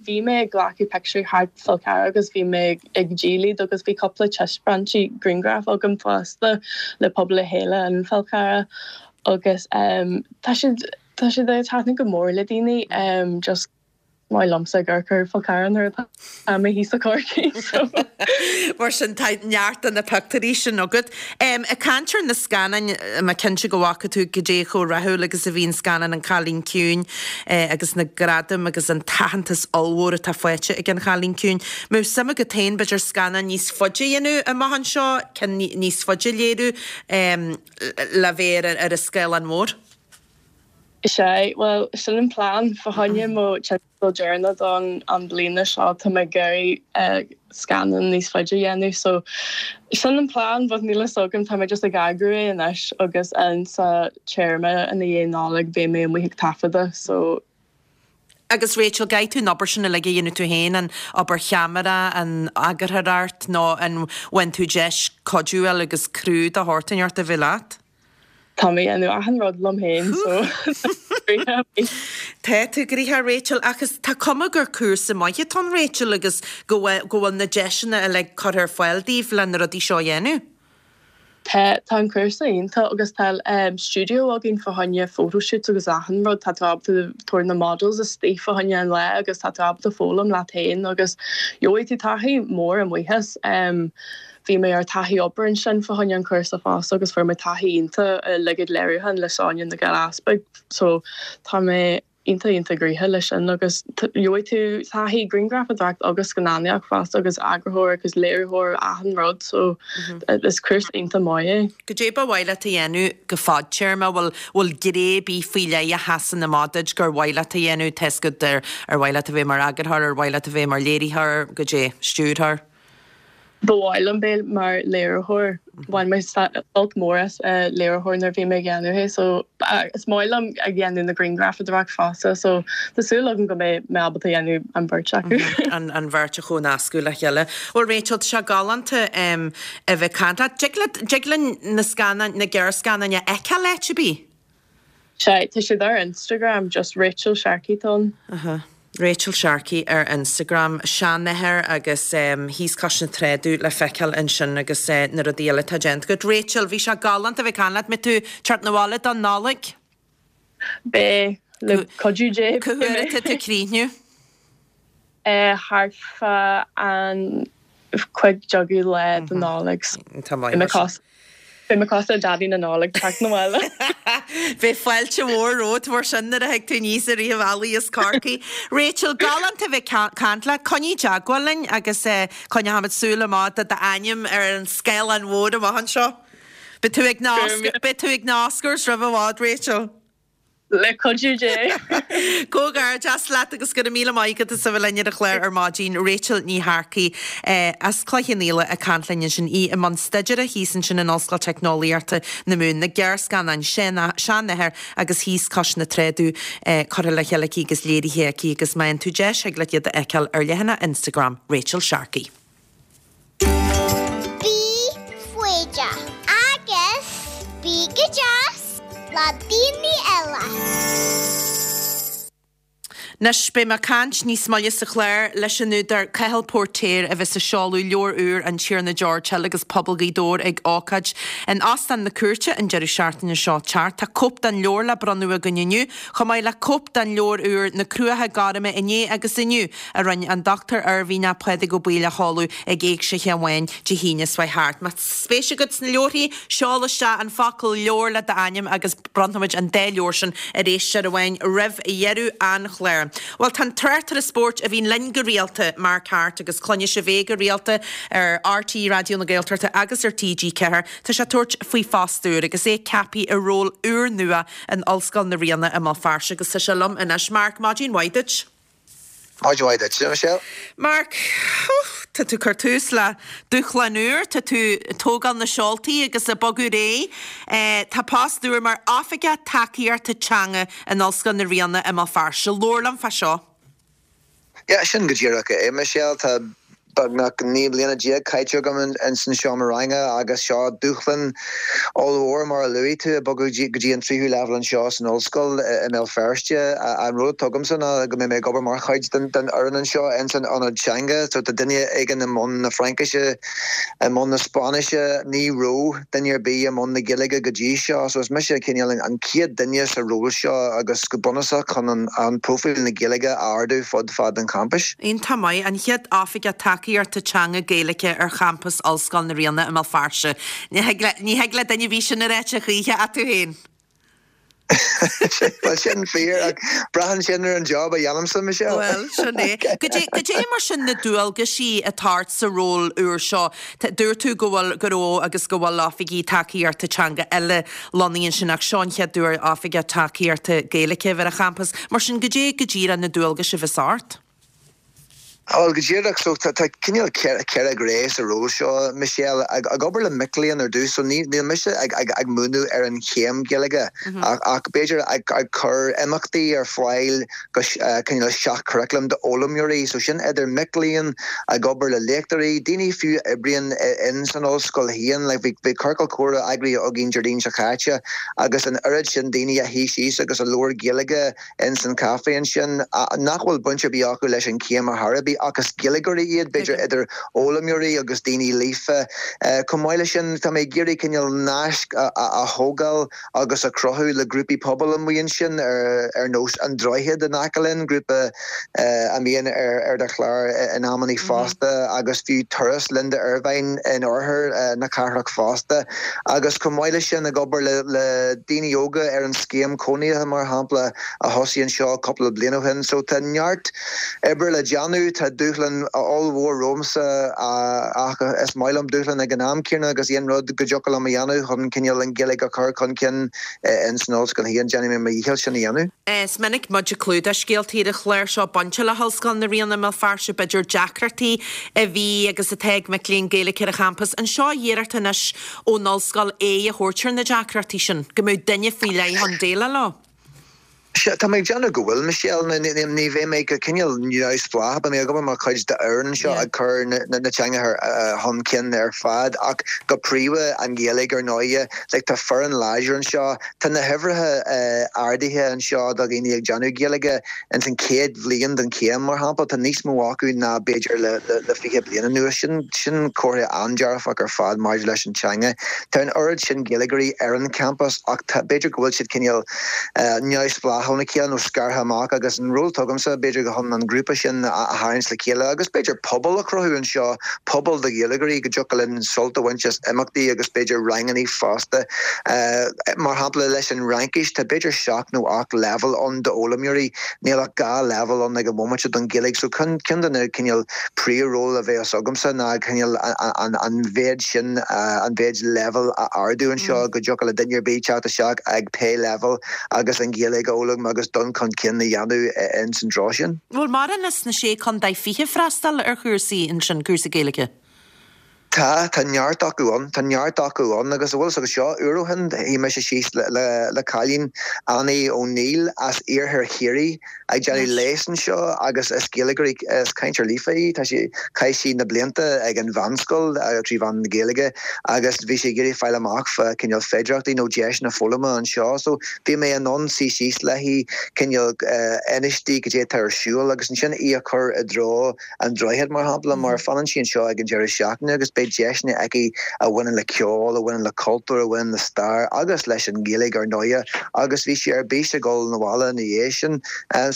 bhí mé ag glacadh pictiúirí thart Fál Carrach agus bhí mé ag díol iad agus bhí cúpla taispeáintí grianghraf agam fosta le Pobal le Chéile in Fál Carrach agus tá siad tá siad ag taitneamh go mór le daoine just maith liomsa ag amharc ar Fál Carrach nuair atá mé thíos i Corcaigh so. Mar sin tá neart de na pictiúirí sin agat. Ag caint ar na scannáin, mé cinnte go bhfaca tú goidé chomh rathúil agus a bhí an scannán An Cailín Ciúin agus na gradaim agus an t-aitheantas ollmhór atá faighte ag An Chailín Ciúin. Mbeadh suim agat féin b'fhéidir scannán níos faide a dhéanamh amach anseo, ceann níos faide a léiriú le bheith ar an scáileán mór? Sea, bhuel, sin an plean. Fá choinne mo tionscadal deireanach don an bliana seo, tá mé ag iarraidh scannán níos faide a dhéanamh. So, sin an plean, but níl fhios agam, tá mé just ag eagrú é anois agus in sa téarma ina dhiaidh Nollaig beidh mé amuigh ag taifeadadh, so. Agus Rachel, gcaithfidh tú an obair sin uilig a dhéanamh tú féin, an obair cheamara, an eagarthóireacht, nó an bhfaigheann tú deis cuidiú a fháil agus criú de shórt inteacht a bheith leat? Tá mé ag déanamh achan rud liom féin so Tá tú gnoitheach Rachel ach is tá cuma gur cúrsa maith atá ann Rachel agus go bhfuil go bhfuil na deiseanna uilig curtha ar fáil daoibh le na rudaí seo a dhéanamh. Tá, tá an cúrsa iontach agus tá stiúideo againn fá choinne photoshoots agus achan rud, tá tú ábalta tabhair na models istigh fá choinne an lá agus tá tú ábalta foghlaim leat féin agus gheobhaidh tú taithí mór amuigh as. Bhí mé ar taithí obair ansin fá choinne an cúrsa fosta agus fuair mé taithí iontach i Lugaid Léiriúcháin le Sonia Nic Giolla Easpaig so tá mé iontach iontach gnoitheach leis sin agus gheobhaidh tú taithí grianghrafadóireacht agus scannánaíocht fosta agus eagarthóir agus léiritheoir achan rud so is cúrsa iontach maith é. Goidé ba mhaith leat a dhéanamh go fadtéarma? Bhfuil bhfuil gné ar bith faoi leith a sheasann amach duit gur mhaith leat a dhéanamh? Tá 'fhios agat ar ar mhaith leat a bheith mar eagarthóir, ar mhaith leat a bheith mar léiritheoir, goidé, stiúrthóir? Ba mhaith liom bheith mar léiritheoir. Bhain mé sult mór as léiritheoir nuair a bhí mé ag dhéanamh é so is maith liom ag dhéanamh na grianghrafadóireacht fosta so tá súil agam go mbeidh mé ábalta dhéanamh an bheirt acu. An bheirt a chomhnascadh le chéile. Bhuel Rachel, tá sé galánta a bheith ag caint leat. Dtig leat, dtig linn na scannáin, na gearrscannáin a fheiceáil áit ar bith? Sea, tá siad ar Instagram, just Rachel Sharkey atá ann. Aha. Rachel Sharkey ar Instagram, Seanathair agus Thíos Cois na Trádú le feiceáil ansin agus na rudaí eile atá déanta agat. Rachel, bhí sé galánta a bheith ag caint leat. Mbeidh tú ag teacht 'na bhaile don Nollaig? Beidh, le cuidiú Dé. Cá huair atá tú ag críochnú? Thart fá an 15ú lá de Nollaig. Tá maith mar sin. Beidh mé cosúil le Daidí na Nollag teacht 'na bhaile. Beidh fáilte mhór romhat mar sin nuair a thig tú aníos i rith an bhealaigh as Corcaigh. Rachel, galánta a bheith ag caint leat. Coinnigh i dteagmháil linn agus coinneochaimid súil amach do d'ainm ar an scáileán mhór amach anseo. Beidh tú ag na Beidh tú ag na Oscars roimh i bhfad, Rachel. Le cuidiú Dé. Comhghairdeas leat agus go raibh míle maith agat as a bheith linn ar an chlár ar maidin. Rachel Ní Shearcaigh as Cloich Cheann Fhaola ag caint linn ansin, í i mbun staidéir thíos ansin in Ollscoil Teicneolaíochta na Mumhan. Na gearrscannáin, Seanathair agus Thíos Cois na Trádu curtha le chéile aici agus léirithe aici agus má fhaigheann tú deis thig leat iad a fheiceáil ar leathanach Instagram Rachel Sharkey. Bí foighdeach agus bí go deas le daoine eile. Anois, beidh mé ag caint níos moille sa chlár leis an údar Cathal Póirtéir a bheas ag seoladh leabhar úr An Tiarna George Hill agus Pobal Ghaoth Dobhair ag ócáid in Óstán na Cúirte an deireadh seachtaine seo teacht. Tá cóip den leabhar le bronnadh againn inniu, chomh maith le cóip den leabhar úr Na Cruacha Gorma Inné agus Inniu, a rinne an Dr Oirmhinneach Pádraig Ó Baoill a sheoladh ag Éigse Chéin Bháin Dé hAoine seo chuaigh thart. Má tá spéis agat sna leabharthaí, seol isteach an focal 'leabhar' le d'ainm agus bronnfaimid an dá leabhar sin ar éisteoir amháin roimh dheireadh an chláir. Bhuel, tá an tráchtaire spóirt a bhíonn linn go rialta, Mark Harte, agus cluinfidh sibh é go rialta ar RTÉ Raidió na Gaeltachta agus ar TG4, tá sé ag tabhairt faoi phost úr agus é ceaptha i ról úrnua in Ollscoil na Ríona i mBéal Feirste agus tá sé liom anois. Mark, maidin mhaith duit. Maidin mhaith duit, Michelle. Mark, Tá tú ag cur tús le dúshlán úr, tá tú ag tógáil na seoltaí agus ag bogadh ar aghaidh. Tá post úr mar Oifigeach Tacaíochta Teanga in Ollscoil na Ríona i mBéal Feirste. Labhair liom fá seo. Yeah, sin go díreach é, Michelle. Tá beagnach 19 bliana caite agam ins an seomra ranga agus seo dúshlán ollmhór, mar a luaigh tú, ag bogadh go dtí an tríú leibhéal anseo san ollscoil i mBéal Feirste. An rud atá agamsa ná go mbeidh mé ag obair mar chuid den fhoireann anseo ins an ionad teanga. So tá duine éigin i mbun na Fraincise, i mbun na Spáinnise, ní raibh duine ar bith i mbun na Gaeilge go dtí seo. So is mise cineál an chéad duine sa ról seo agus go bunúsach chun an próifíl na Gaeilge a ardú fud fad an champais. Iontach maith. An chéad Oifigeach Tacaíochta Teanga Gaeilge ar champas Ollscoil na Ríona i mBéal Feirste. Ní thig le, ní thig le duine ar bith sin a ráite choíche ach tú féin. Bhuel, sin fíor, ach braitheann sin ar an job a dhéanaimse, Michelle. Bhuel, sin é. Goidé, goidé mar sin na dualgaisí atá ort sa ról úr seo? Dúirt tú go bhfuil, go raibh agus go bhfuil oifigigh tacaíochta teanga eile lonnaithe ansin ach seo an chéad uair oifigeach tacaíochta Gaeilge a bheith ar an champas. Mar sin, goidé go díreach na dualgais a bheas ort? Bhuel, go díreach, so tá cineál 4 ghné sa ról seo, Michelle. Ag obair le mic léinn ar dtús, so níl mise ag múineadh ar an chéim Ghaeilge ach b'fhéidir ag cur imeachtaí ar fáil go cineál seach-churaclam d'fhoghlaimeoirí, so sin idir mic léinn, ag obair le léachtóirí, daoine fiú a oibríonn in san ollscoil féin. Like bhí ciorcal comhrá eagraithe againn Déardaoin seo caite agus an oiread sin daoine a shuigh síos agus a labhair Gaeilge in san caife ansin nach bhfuil baint ar bith acu leis an chéim ar chor ar bith ach is Gaeilgeoirí iad, b'fhéidir idir fhoghlaimeoirí agus daoine líofa. Chomh maith leis sin, tá mé ag iarraidh cineál naisc a thógáil agus a chruthú le grúpaí pobail amuigh ansin ar nós An Droichead in aice linn, grúpa a mbíonn ar do chlár in amannaí fosta agus fiú Turas Linda Ervine in oirthear na cathrach fosta. Agus chomh maith leis sin, ag obair le daoine óga ar an scéim cónaithe, mar shampla, a thosaigh anseo cúpla bliain ó shin. So tá neart oibre le déanamh, tá dúshlán ollmhór romhamsa ach is maith liom dúshlán ag an am céanna agus aon rud go dtiocfadh liom a dhéanamh chun cineál an Ghaeilge a chur chun cinn in san ollscoil féin, déanfaidh mé mo dhícheall sin a dhéanamh. Is minic muid ag clúdach scéaltaí ar an chlár seo bainte le hOllscoil na Ríona i mBéal Feirste, b'fhéidir deacrachtaí a bhí agus atá ag mic léinn Gaeilge ar an champas. An seo iarracht anois ón ollscoil aghaidh a thabhairt ar na deacrachtaí sin, go mbeadh duine faoi leith chun déileáil leo? Sea, tá mé ag déanamh go bhfuil, Michelle. Ní bheidh mé go cineál neamhspleách, beidh mé ag obair mar chuid d'fhoireann anseo ag cur na teangacha chun cinn ar fad ach go príomha an Ghaeilge ar ndóighe. Like tá foireann láidir anseo, tá na huimhreacha ardaithe anseo do dhaoine ag déanamh Gaeilge ins an chéad bhliain den chéim mar shampla, tá níos mó acu ná b'fhéidir le 20 bliain anuas. Sin sin comhartha an-dearfach ar fad maidir leis an teanga. Tá an oiread sin Gaeilgeoirí ar an campas ach tá b'fhéidir go bhfuil siad cineál neamhspleách óna chéile nó scartha amach agus an ról atá agamsa b'fhéidir chun an grúpa sin a tharraingt le chéile agus b'fhéidir pobal a chruthú anseo, pobal de Ghaeilgeoirí go dtiocfadh linn sult a bhaint as imeachtaí agus b'fhéidir rangannaí fosta. Mar shampla leis an Fhraincis tá b'fhéidir seacht nó 8 leibhéal ann d'fhoghlaimeoirí, níl ach 2 leibhéal ann ag an bhomaite don Ghaeilge so ceann de na cineál príomhról a bheas agamsa ná cineál an mhéid sin, an mhéid leibhéal a ardú anseo go dtiocfadh le duine ar bith teacht isteach ag pé leibhéal agus an Ghaeilge a fhoghlaim agus dul chun cinn a dhéanamh ins an treo sin. Bhfuil mórán as na Sé Chontae 20 ag freastal ar chúrsaí ansin, cúrsaí Gaeilge? Tá, tá neart acu ann, tá neart acu ann agus an bhfuil fhios agat seo, uair ó shin shuigh mise síos le le cailín, Annie O'Neill as iarthar Chiarraí ag déanamh leighis anseo agus is Gaeilgeoir í, is cainteoir líofa í, tá sí, chaith sí na blianta ag an mheánscoil trí mheán na Gaeilge agus bhí sí ag iarraidh fáil amach fá cineál féidearthachtaí nó deiseanna foghlama anseo so bhí mé in ann suí síos léi, cineál inis di cad é atá ar siúl agus ansin í a chur i dtreo An Droichead, mar shampla, mar fanann sí anseo ag an deireadh seachtaine agus beidh deiseanna aici a bhaineann le ceol, a bhaineann le cultúr, a bhaineann le stair agus leis an nGaeilge, ar ndóighe, agus bhí sí ar bís ag dul 'na bhaile ina dhiaidh sin.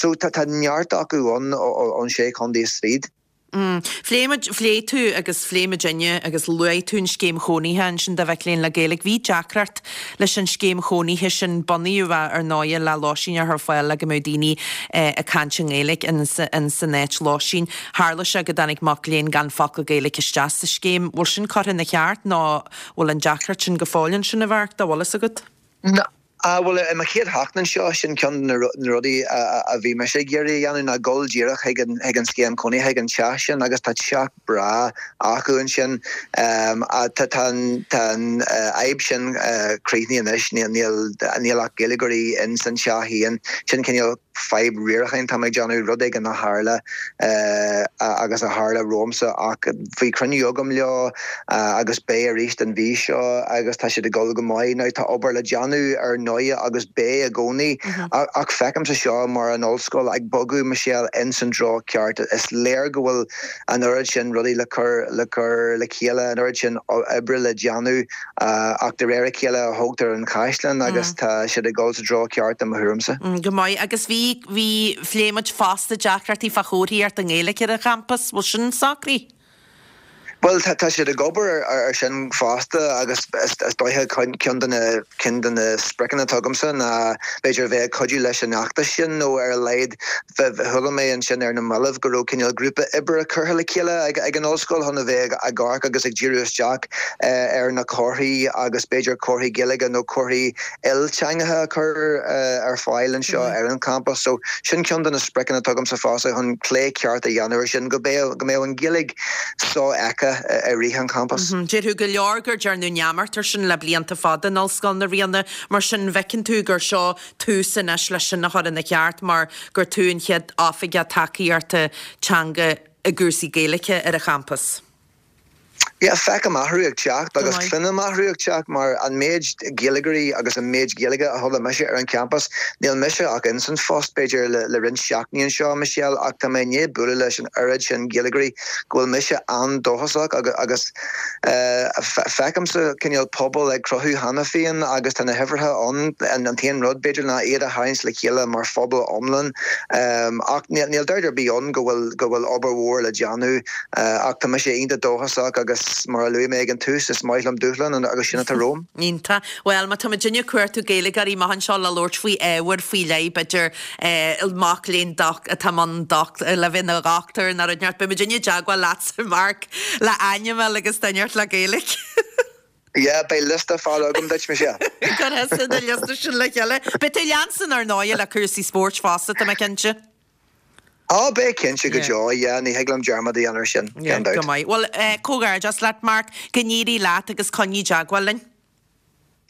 So tá neart acu ann ón sé chontae is fichead. Phléigh muid, phléigh tú agus phléigh muidinne agus luaigh tú an scéim chónaithe ansin do mhic léinn le Gaeilge. Bhí deacracht leis an scéim chónaithe sin, bunaíodh é ar ndóighe le lóistín a chur ar fáil le go mbeadh daoine ag caint i nGaeilge in san áit lóistín. Tharla sé go dtáinig mac léinn gan focal Gaeilge isteach sa scéim. Bhfuil sin curtha ina cheart nó bhfuil an deacracht sin go fóill ansin, a Mharc, dá bhfuil fhios agat? Ah, bhuel, i mo chéad sheachtain anseo, sin ceann de na rudaí a bhí mise ag iarraidh a dhéanamh ná dul díreach chuig an chuig an scéim cónaithe, chuig an teach sin agus tá teach breá acu ansin. Tá tá an tá an fhadhb sin críochnaithe anois, níl níl níl ach Gaeilgeoirí in san teach féin. Sin cineál fadhb riaracháin tá mé ag déanamh, rud éigin a tharla agus a tharla romhamsa ach bhí cruinniú agam leo agus beidh arís an mhí seo agus tá siad ag dul go maith. Now tá obair le déanamh ar ndóighe agus beidh i gcónaí ach feicimse seo mar an ollscoil ag bogadh, Michelle, ins an treo ceart. Is léir go bhfuil an oiread sin rudaí le cur le cur le chéile, an oiread sin oibre le déanamh. Ach de réir a chéile a thógtar an caisleán agus tá siad ag dul sa treo ceart i mo thuairimse. Go maith. Agus bhí, bhí, phléigh muid fosta deacrachtaí fá chomharthaíocht i nGaeilge ar an champas. Bhfuil sin socraithe? Bhuel, tá, tá siad ag obair ar sin fosta agus is dóiche ceann de na, ceann de na spriocanna atá agamsa ná b'fhéidir a bheith ag cuidiú leis an fheachtas sin nó ar a laghad Chuala mé ansin ar na mallaibh go raibh cineál grúpa oibre curtha le chéile ag an ollscoil chun a bheith ag amharc agus ag díriú isteach ar na comharthaí agus b'fhéidir comharthaí Gaeilge nó comharthaí ilteangacha a chur ar fáil anseo ar an champas. So sin ceann de na spriocanna atá agamsa fosta chun plé ceart a dhéanamh ar sin go mbeadh an Ghaeilge sofheicthe i rith an champas. Déarfadh go leor gur déarnadh neamart ar sin le blianta fada in Ollscoil na Ríona. Mar sin, an bhfeiceann tú gur seo tús anois leis sin a chur ina cheart mar gur tú an chéad oifigeach tacaíochta teanga i gcúrsaí Gaeilge ar an champas. Yeah, feicim athrú ag teacht agus cluinim athrú ag teacht mar an méid Gaeilgeoirí agus an méid Gaeilge a chuala mise ar an champas, níl mise ach ins an phost b'fhéidir le roinnt seachtainí anseo, Michelle, ach tá mé i ndiaidh bualadh leis an oiread sin Gaeilgeoirí go bhfuil mise an-dóchasach agus Feicimse cineál pobal ag cruthú cheana féin agus tá na huimhreacha ann. An t-aon rud, b'fhéidir, ná iad a tharraingt le chéile mar phobal iomlán. Ach níl dabht ar bith ann go bhfuil go bhfuil obair mhór le déanamh. Ach tá mise iontach dóchasach agus mar a luaigh mé ag an tús, is maith liom dúshlán agus sin atá romham. Iontach. Bhuel, má tá muidinne ag cuartú Gaeilgeoirí maithe anseo le labhairt faoi ábhair faoi leith, b'fhéidir mac léinn atá i mbun le bheith ina dhochtúir nó rud inteacht, beidh muidinne i dteagmháil leatsa, Mark, le ainm a fháil agus duine inteacht le Gaeilge. Yeah, beidh liosta fada agam duit, Michelle. Cuirfidh tusa an liosta sin le chéile. Beidh tú ag leanstan ar ndóighe le cúrsaí spóirt fosta, tá mé cinnte. Á, beidh cinnte go deo, yeah, ní thig liom dearmad a dhéanamh ar sin, gan dabht. Go maith. Bhuel, comhghairdeas leat, Mark, go n-éirí leat agus coinnigh i dteagmháil linn.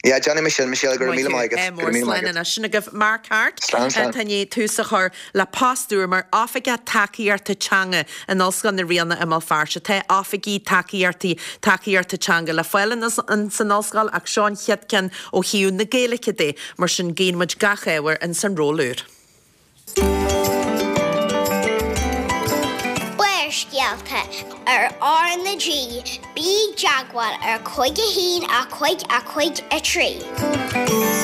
Yeah, déanfaidh mé sin, Michelle, go raibh míle maith agat. Go raibh míle maith agat. Slán anois. Sin agaibh Mark Harte, Slán, slán. atá i ndiaidh tús a chur le post úr mar Oifigeach Tacaíochta Teanga in Ollscoil na Ríona i mBéal Feirste. Tá oifigí tacaíochtaí tacaíochta teanga le fáil ins an ollscoil ach seo an chéad ceann ó thaobh na Gaeilge de, mar sin guíonn muid gach ádh air ins an ról úr. Barrscéalta ar R na G, bí i dteagmháil ar 5 1 5 5 3.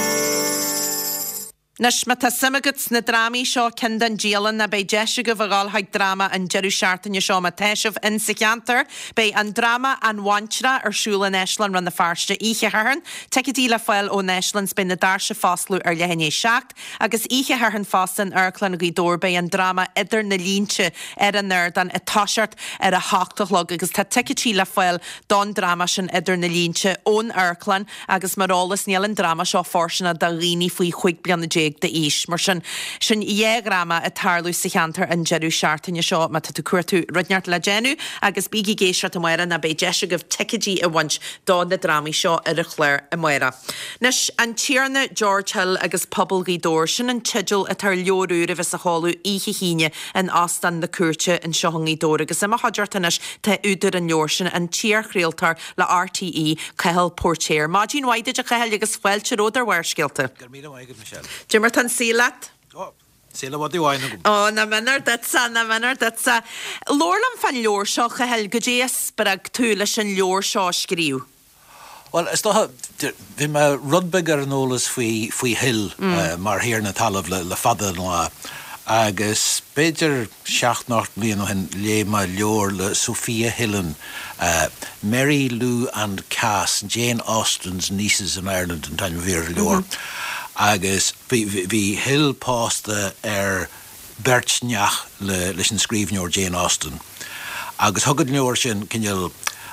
Anois, má tá suim agat sna drámaí seo, ceann den dialann, ná beidh deis agaibh a dhul chuig dráma an deireadh seachtaine seo má tá sibh in sa cheantar. Beidh an dráma An Bhaintreach ar siúl in Áislann Rann na Feirste oíche Shathairn. Ticéidí le fáil ón Áislann 's beidh na doirse f'oscladh ar leath i ndiaidh 7. Agus oíche Shathairn fosta in Amharclann Ghaoth Dobhair beidh an dráma Idir na Línte ar an ardán ag toiseacht ar a hocht a chlog agus tá ticéidí le fáil don dráma sin Idir na Línte ón amharclann agus mar eolas níl an dráma seo fóirsteanach do dhaoine faoi 15 bliana d'aois. Mar sin, sin dhá dhráma ag tarlú sa cheantar an deireadh seachtaine seo má tá tú ag cuartú rud inteacht le déanamh agus bígí ag éisteacht amárach ná beidh deis agaibh ticéidí a bhaint do na drámaí seo ar an chlár amárach. Anois, An Tiarna George Hill agus Pobal Ghaoth Dobhair, sin an teideal atá ar leabhar úr a bheas á sheoladh oíche hAoine in Óstán na Cúirte anseo i nGaoth Dobhair agus i mo chuideachta anois tá údar an leabhair sin, an t-iarchraoltóir le RTÉ, Cathal Póirtéir. Maidin mhaith duit a Chathail agus fáilte romhat ar Bharrscéalta. Go raibh míle maith agat, Michelle. Cad é mar tá an saol leat? Ó, saol i bhfad amháin agam. Ó, nach méanar duitse, nach méanar duitse. Labhair liom fán leabhar seo, a Chathail, goidé a spreag tú leis an leabhar seo a scríobh? Bhuel, is dócha, bhí mé rud beag ar an eolas faoi, faoi Hill mar thiarna talaimh le, le fada an lá agus b'fhéidir seacht nó ocht mbliana ó shin léigh mé leabhar le Sophia Hillan, Mary Lou and Cass, Jane Austen's Nieces in Ireland an t-ainm a bhí ar an leabhar agus bhí, bhí Hill pósta ar beirt neach leis an scríbhneoir Jane Austen agus thug an leabhar sin cineál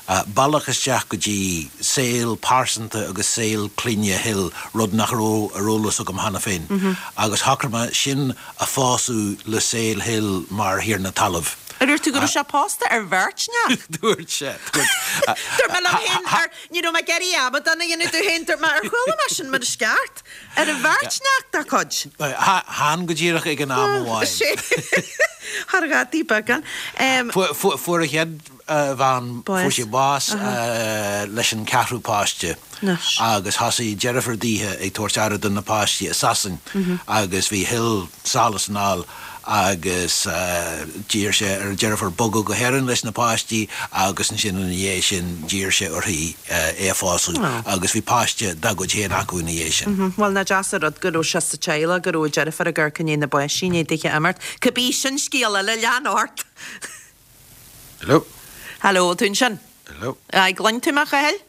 bealach isteach go dtí saol pearsanta agus saol clainne Hill, rud nach raibh ar eolas agam cheana féin, agus shocraigh mé sin a phósadh le saol Hill mar thiarna talaimh. Ar dhúirt tú go raibh sé pósta ar bheirt neach? Dúirt sé, dúirt. Dúirt mé liom féin, ar, ní raibh mé ag iarraidh amadán a dhéanamh domh féin, dúirt mé, ar chuala mé sin mar is ceart? Ar an bheirt neach dá cuid. Chan go díreach ag an am amháin. Thar dhátaí beaga. Fuair a chéad bhean, fuair sí bás leis an ceathrú páiste agus thosaigh deirfiúr daoithe ag tabhairt aire do na páistí i Sasain agus bhí Hill sall is anall agus d'iarr sé ar a deirfiúr bogadh go hÉirinn leis na páistí agus ansin ina dhiaidh sin d'iarr sé uirthi é a phósadh agus bhí páiste dá gcuid féin acu ina dhiaidh sin. Bhuel, nach deas an rud go raibh sé sa teaghlach, go raibh a deirfiúr ag amharc i ndiaidh na bpáistí i ndiaidh daoithe imeacht. Cibé, sin scéal eile, lean ort! Hello. Hello, tú ansin? Hello. Aye, gcluin tú mé, a Chathail?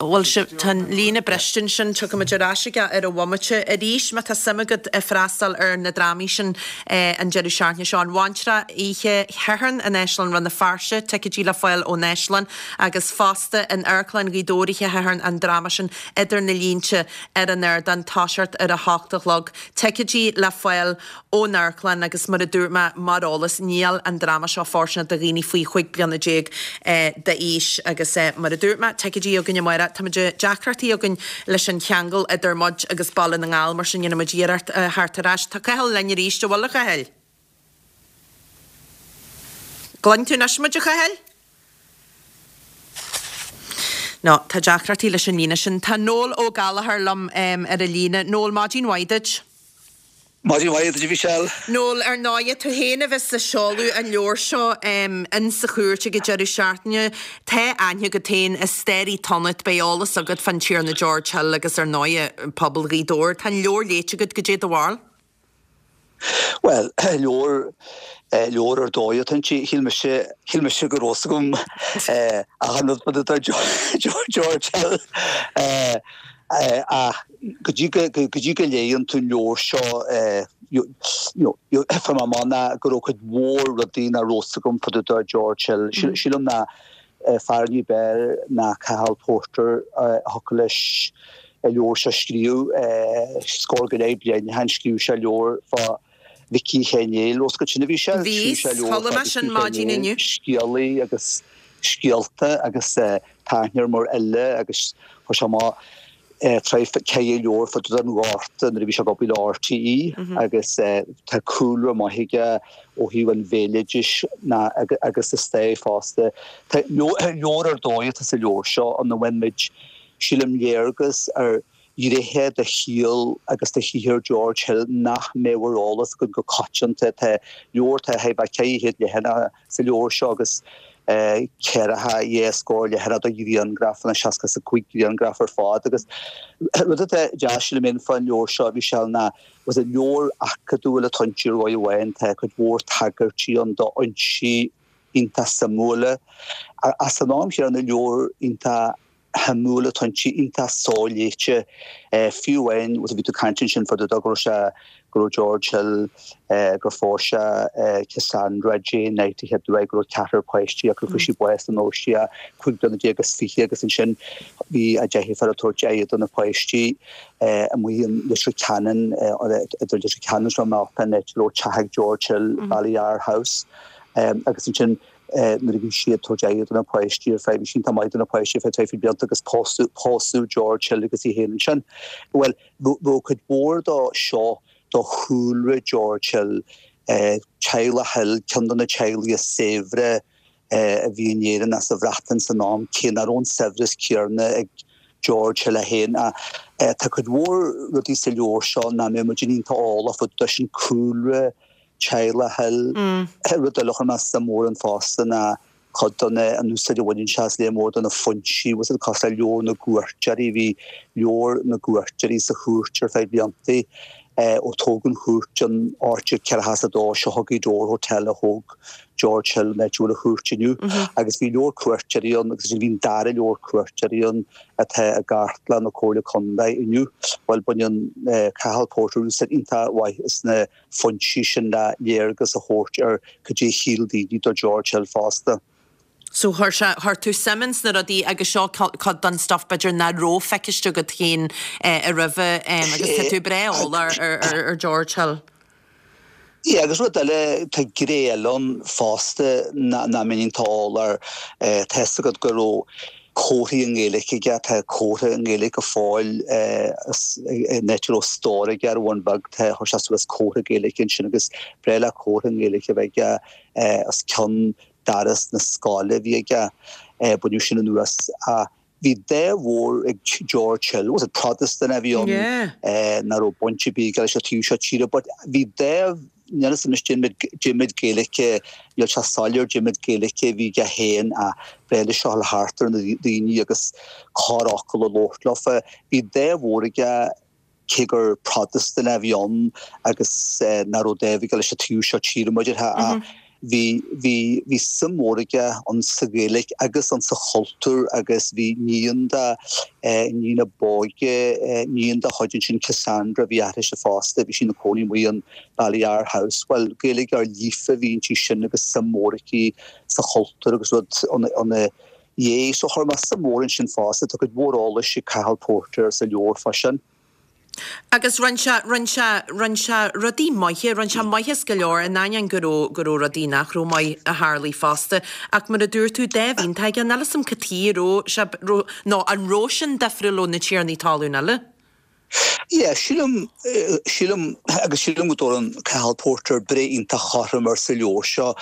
Bhuel, tá an líne briste ansin, tiocfaidh muid ar ais aige ar an bhomaite. Arís, má tá suim agat freastal ar na drámaí sin an deireadh seachtaine seo, An Bhaintreach, oíche Shathairn in Áislann Rann na Feirste, ticéidí le fáil ón Áislann, agus fosta in Amharclann Ghaoth Dobhair oíche Shathairn, an dráma sin Idir na Línte ar an ardán, toiseacht ar a hocht a chlog. Ticéidí le fáil ón amharclann agus mar a dúirt mé, mar eolas, níl an dráma seo fóirsteanach do dhaoine faoi 15 bliana d'aois agus mar a dúirt mé, ticéidí againn amárach. Tá muid, deacrachtaí againn leis an cheangal idir muid agus Baile na nGall, mar sin dhéanfaidh muid iarracht a theacht ar ais. Tá Cathal linn arís, an bhfuil a Chathail? Gcluin tú anois muid a Chathail? No, tá deacrachtaí leis an líne sin. Tá Noel Ó Gallchóir liom ar an líne. Noel, maidin mhaith duit. Maidin mhaith duit, a Mhichelle. Noel, ar ndóighe, tú féin a bheas ag seoladh an leabhair seo in sa chúirt ag an deireadh seachtaine. Tá aithne agat féin, is staraí tú, beidh eolas agat fán Tiarna George Hill agus ar ndóighe, pobal Ghaoth Dobhair. Tá an leabhar léite agat, goidé do bharúil? Bhuel, leabhar, leabhar ar dóigh atá inti. Shíl mise, shíl mise go raibh fhios agam achan rud fá dtaobh de George Hill. Ach go dtí go, go dtí go léann tú an leabhar seo, you know, fuair mé amach ná go raibh cuid mhór rudaí nach raibh fhios agam fá dtaobh de George Hill. Sílim ná fear ní b'fhearr ná Cathal Póirtéir a thiocfadh leis an leabhar seo a scríobh. Scór go leith bliain ó shin scríobh sé leabhar fá Mhicí Shéaghaidh Néill. Raibh fhios agat sin a Mhichelle? Bhí, Scríobh sé leabhar chuala fá mé sin Mhicí Sheáin maidin Néill, inniu. scéalaí agus scéalta agus. Tá aithne air mar fhile agus chuir sé amach sraith ceithre leabhar fá dtaobh den Ghorta nuair a bhí sé ag obair le RTÉ agus tá cúlra maith aige ó thaobh an bhéaloidis agus an stair fosta. Tá leabhar ar dóigh atá sa leabhar seo ina bhfaigheann muid, sílim, léargas ar ghnéithe de shaol agus de shaothar George Hill nach mbeadh ar eolas againn go coitianta. Tá leabhar, tá 400 leathanach sa leabhar seo agus ceathracha dhá scór leathanach de ghrianghrafanna, 65 grianghraf ar fad. Agus rud atá deas, sílim féin, fán leabhar seo, a Mhichelle, ná is leabhar acadúil atá inti ar dhóigh amháin, tá cuid mhór tagairtí ann d'fhoinsí iontach suimiúla. Ach san am chéanna, leabhar iontach shuimiúil atá inti, iontach soléite. Fiú amháin, bhí tú ag caint ansin fá dtaobh de go raibh sé, go raibh George Hill, gur phós sé Cassandra Jane Knight an chéad uair, go raibh ceathrar páistí acu, fuair sí bás nuair a bhí sé 15 bliana is fiche agus ansin bhí a deirfiúr ag tabhairt aire do na páistí amuigh in Leitir Ceanainn, idir Leitir Ceanainn is Ráth Mealtain, áit a raibh teach ag George Hill, Ballyar House, agus ansin nuair a bhí sí ag tabhairt aire do na páistí ar feadh, bhí sí iontach maith do na páistí ar feadh tréimhse blianta agus pósadh, pósadh George Hill agus í féin ansin. Bhuel, bheadh cuid mhór de seo do chúlra George Hill, teaghlach Hill, ceann de na teaghlaigh is saibhre a bhí in Éirinn is sa Bhreatain san am, cé nach raibh an saibhreas céanna ag George Hill é féin. Tá cuid mhór rudaí sa leabhar seo nach mbeadh muid iontach eolach fá dtaobh de, sin cúlra teaghlach Hill. Rud eile a chuir mé suim mhór ann fosta ná cuid de na, an úsáid a bhaineann sé as léar mór de na foinsí, bhfuil a fhios agat, cosúil le leabhar na gcuairteoirí, bhí leabhar na gcuairteoirí sa chúirt ar feadh blianta ó tógadh an chúirt in 1842, seo Gweedore Hotel a thóg George Hill an áit a bhfuil an chúirt inniu agus bhí leabhar cuairteoirí ann agus bhí an dara leabhar cuairteoirí ann atá i gcartlann na Comhairle Contae inniu. Bhuel, baineann Cathal Póirtéir úsáid iontach mhaith as na foinsí sin le léargas a thabhairt ar cad é a shíl daoine de George Hill fosta. So chuir sé, chuir tú suim ins na rudaí agus seo cuid den stuff b'fhéidir nach raibh feiciste agat féin roimhe agus tá tú breá eolach ar George Hill. Yeah agus rud eile, tá gné eile ann fosta nach mbeinn iontach eolach air. Tá fhios agat go raibh comharthaí i nGaeilge aige, tá comhartha i nGaeilge go fóill in áit a raibh stór aige ar an Bhun Bheag, tá, chuir sé suas comhartha Gaeilge ansin agus breá le comhartha i nGaeilge a bheith aige os cionn doras na scoile a bhí aige, baineadh sin anuas. Bhí dáimh mhór ag George Hill, was it Protestant a bhí ann, nach raibh baint ar bith aige leis an taobh seo tíre, but bhí dáimh Níl a fhios agam cé mhéad Gaeilge, níl sé soiléir cé mhéad Gaeilge a bhí aige féin ach ba bhreá leis a ghabháil thart ar na daoine agus corrfhocal a labhairt leofa. Bhí dáimh mhór aige cé gur Protestant a bhí ann agus nach raibh dáimh aige leis an taobh seo tíre mar a déarfá ach bhí, bhí, bhí suim mhór aige an sa Ghaeilge agus an sa chultúr agus bhí níon de, níon ab óige, níon dá chuid ansin Cassandra a bhí aithrise fosta, bhí sí ina cónaí amuigh in Ballyar House. Bhuel, Gaeilgeoir líofa a bhí inti sin agus suim mhór aici sa chultúr agus rud ina dhiaidh. So chuir mé suim mhór ansin fosta, tá cuid mhór eolais ag Cathal Póirtéir sa leabhar fá sin. Agus rinne sé, rinne sé, rinne sé rudaí maithe, rinne sé maitheas go leor, in ainneoin go raibh, go raibh rudaí nach raibh maith a tharlaigh fosta. Ach mar a dúirt tú, dáimh iontach aige, níl 'fhios a'm cad chuige a raibh sé, raibh, nó an raibh sin difriúil ó na tiarnaí talún eile? Yeah, sílim, sílim, agus sílim go dtabharann Cathal Póirtéir breith iontach chothrom air sa leabhar seo.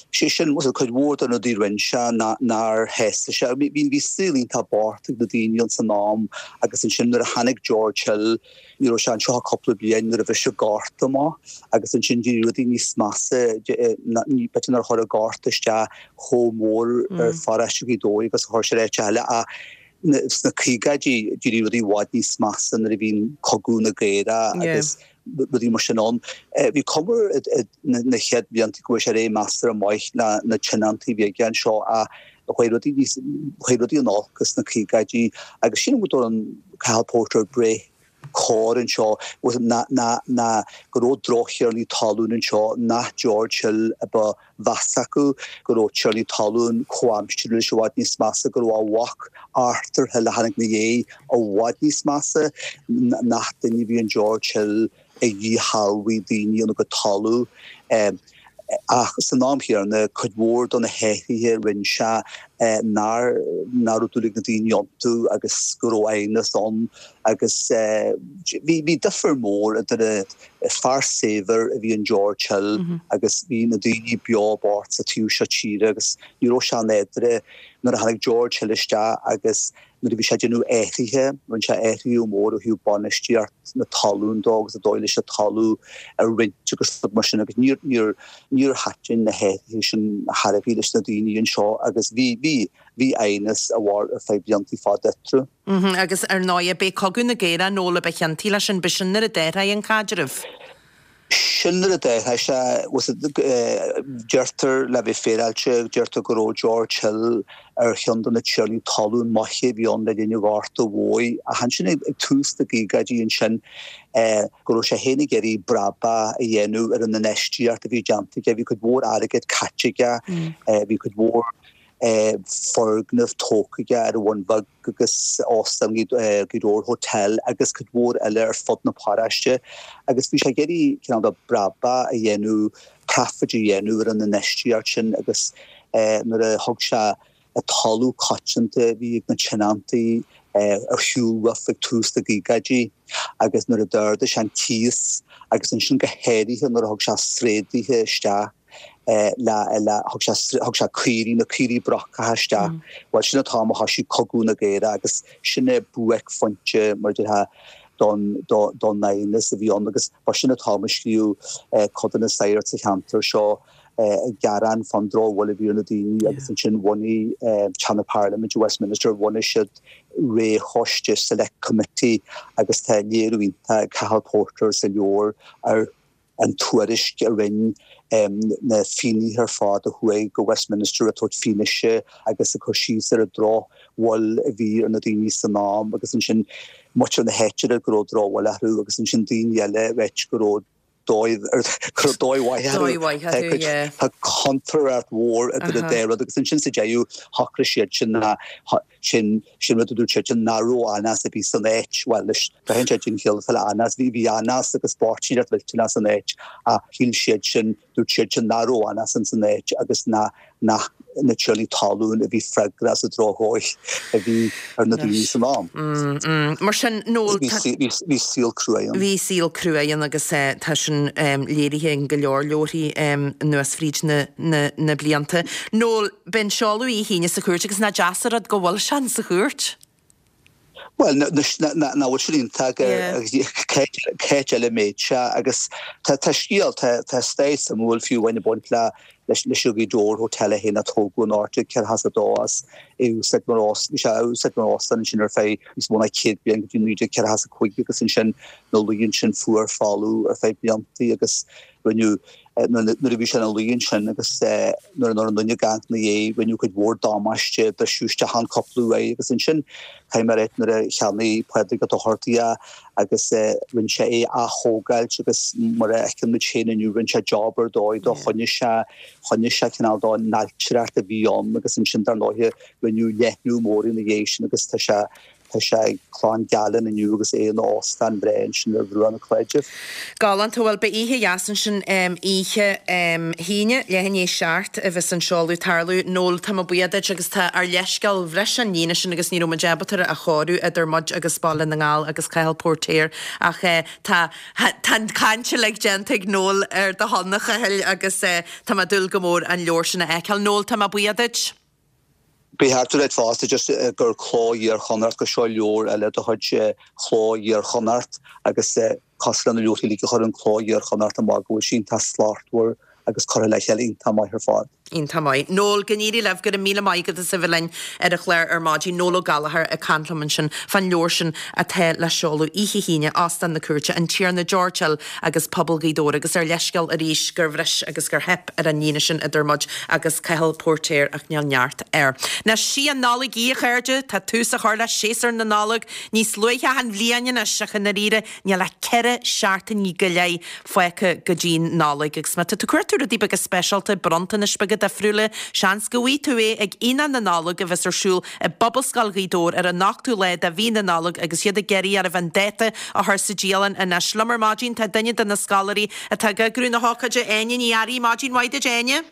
Sé sin, bhuel, cuid mhór de na rudaí a rinne sé nár shásaigh sé. Bhí, bhí saol iontach bocht ag na daoine ins an am agus ansin nuair a tháinig George Hill, ní raibh sé anseo ach cúpla bliain nuair a bhris an Gorta amach agus ansin d'éirigh rudaí níos measa, b'fhéidir nár chuir an Gorta isteach chomh mór ar pharóiste Ghaoth Dobhair agus a chuir sé ar áit eile ach sna caogaidí d'éirigh rudaí i bhfad níos measa nuair a bhí an Cogadh na gCaorach agus rudaí mar sin ann. Bhí cuma na chéad bhlianta go raibh sé ar aghaidh measartha maith le na tionóntaí a bhí aige anseo ach chuaigh rudaí níos, chuaigh rudaí in olcas sna caogaidí agus sílim go dtabharann Cathal Póirtéir breith cóir anseo ná, ná, ná go raibh drochthiarnaí talún anseo, nach George Hill a ba mheasa acu, go raibh tiarnaí talún comhaimseartha leis i bhfad níos measa, go raibh a mhac Arthur Hill a tháinig ina dhiaidh i bhfad níos measa, nach duine a bhí in George Hill a dhíshealbhaigh daoine óna gcuid talamh. Ach san am chéanna, cuid mhór de na hathruithe a rinne sé. nár nach raibh dúil ag na daoine iontu agus go raibh aighneas ann agus bhí bhí difear mór idir an fear saibhir a bhí in George Hill agus bhí na daoine beo bocht sa taobh seo tíre agus ní raibh sé nádúrtha nuair a tháinig George Hill isteach agus Nuair a bhí sé ag déanamh athruithe, rinne sé athruithe mór ó thaobh bainistíocht na talún dó agus an dóigh leis an talamh a roinnt agus rud mar sin agus níor, níor, níor thaitin na hathruithe sin chor ar bith leis na daoine anseo agus bhí, bhí, bhí aighneas a mhair ar feadh blianta fada eatarthu. Agus ar ndóighe, b'é Cogadh na gCaorach, Noel, a ba chiontaí leis sin, b'shin nuair a d'athraigh an caidreamh. Sin nuair a d'athraigh sé, deirtear, le bheith féaráilte, deirtear go raibh George Hill ar cheann de na tiarnaí talún maithe a bhí ann le linn an Ghorta Mhóir. Ach ansin ag tús na gcaogaidí ansin, go raibh sé féin ag iarraidh brabach a dhéanamh ar an infheistíocht a bhí déanta aige. Bhí cuid mhór airgid caite aige, bhí cuid mhór foirgneamh tógtha aige ar an Bhun Bheag agus Óstán Ghaoth Dobhair Hotel agus cuid mhór eile ar fud na paróiste agus bhí sé ag iarraidh cineál de brabach a dhéanamh, profit a dhéanamh ar an infheistíocht sin agus nuair a thug sé an talamh coitianta a bhí ag na tionóntaí ar shiúl uafa ag tús na gcaogaidí agus nuair a d'ardaigh sé an cíos agus ansin go háirithe nuair a thug sé tréadaithe isteach le, le, thug sé, thug sé caoirigh, na caoirigh brocacha isteach. Bhuel, sin an t-am a thoisigh Cogadh na gCaorach agus sin é buaicphointe, mar a déarfá, don, don, don aighneas a bhí ann agus ba sin an t-am a scríobh cuid de na sagairt sa cheantar seo gearán fán drochbhail a bhí ar na daoine agus ansin bhunaigh Teach na Parlaiminte Westminster, bhunaigh siad roghchoiste, Select Committee, agus tá léiriú iontach ag Cathal Póirtéir sa leabhar ar an tuairisc a rinne na finnéithe ar fad a chuaigh go Westminster ag tabhairt fianaise agus ag cur síos ar an drochbhail a bhí ar na daoine san am agus ansin muintir na háite go raibh drochbhail orthu agus ansin daoine eile ag ráit go raibh dóigh go raibh dóigh mhaith orthu. Dóigh mhaith orthu, yeah. Tá contrárthacht mhór idir an dá rud agus ansin sa deireadh shocraigh siad sin Sin, sin rud a dúirt siad sin nach raibh anás ar bith san áit. Bhuel, anois, braitheann sé cén chiall atá le anás. Bhí, bhí anás agus bochtaineacht mhillteanach san áit ach shíl siad sin, dúirt siad sin nach raibh anás ins an áit agus nach, nach na tiarnaí talún a bhí freagrach as an drochdhóigh a bhí ar na daoine san am. Mar sin, Noel, Bhí, tá. bhí, bhí saol cruaidh ann. Bhí saol cruaidh ann agus tá sin léirithe in go leor leabharthaí anuas fríd na, na, na blianta. Noel, Beidh an seoladh oíche hAoine sa chúirt agus nach deas an rud go bhfuil sé in sa chúirt? Bhuel, nach bhfuil sin iontach, cá háit eile a mbeadh sé agus tá scéal, tá stair suimiúil fiú amháin ag baint le leis an Gaoth Dobhair Hotel é féin a tógadh in 1842 agus é a úsáid mar óstán, bhí sé á úsáid mar óstán ansin ar feadh níos mó ná 100 bliain go dtí 1945 agus ansin ina luí ansin fuar folamh ar feadh blianta agus rinneadh Nuair a bhí sé ina luí ansin agus nuair a raibh an duine ag amharc ina dhiaidh, rinneadh cuid mhór damáiste, briseadh isteach ann cúpla uair agus ansin, caithfidh mé a ráit, nuair a cheannaigh Pádraig Ó Dochartaigh é agus rinne sé é a ath-thógáilt agus mar a fheiceann muid féin inniu, rinne sé job ar dóigh dó, choinnigh sé, choinnigh sé cineál den ailtireacht a bhí ann agus ansin dar ndóighe rinneadh leathnú mór ina dhiaidh sin agus tá sé Tá sé ag Clann Gallen inniu agus é ina óstán breá ansin ar bhruach na Cláide. Galánta. Bhuel, beidh oíche dheas ansin oíche hAoine, leath i ndiaidh a 7 a bheas an seoladh ag tarlú. Noel, tá mé buíoch duit agus tá ár leithscéal, bhris an líne sin agus ní raibh muid ábalta a chomhaireamh idir muid agus Baile na nGall agus Cathal Póirtéir ach tá tá an chaint uilig déanta ag Noel ar do shon, a Chathail, agus tá mé ag dúil go mór an leabhar sin a fheiceáil. Noel, tá mé buíoch duit. Ba cheart a ráit fosta just gur Cló Iar-Chonnacht go seo leabhar eile de chuid Chló Iar-Chonnacht agus cosúil le na leabharthaí uilig a chuireann Cló Iar-Chonnacht amach go bhfuil sé iontach slachtmhar agus curtha le chéile iontach maith ar fad. Iontach maith. Noel, go n-éirí libh, go raibh míle maith agat as a bheith linn ar an chlár ar maidin. Noel Ó Gallchóir ag caint liom ansin fán leabhar sin atá le seoladh oíche hAoine, Óstán na Cúirte, An Tiarna George Hill agus Pobal Ghaoth Dobhair agus ár leithscéal arís gur bhris agus gur theip ar an líne sin idir muid agus Cathal Póirtéir ach níl neart air. Anois, sí an Nollaig í, a chairde! Tá tús á chur le séasúr na Nollag níos luaithe achan bhliain anois ach i ndáiríre níl ach 4 seachtainí go leith fágtha go dtí'n Nollaig agus má tá tú ag cuartú rudaí beaga speisialta, bronntanais beaga difriúla, seans go bhfaighidh tú é ag Aonach na Nollag a bheas ar siúl i bPobalscoil Ghaoth Dobhair ar an ochtú lá de mhí na Nollag agus iad ag iarraidh oraibh an dáta a chur sa dialann anois. Liom ar maidin tá duine de na scoláirí atá ag eagrú na hócáide, Áine Ní Fhearraigh. Maidin mhaith duit, Áine.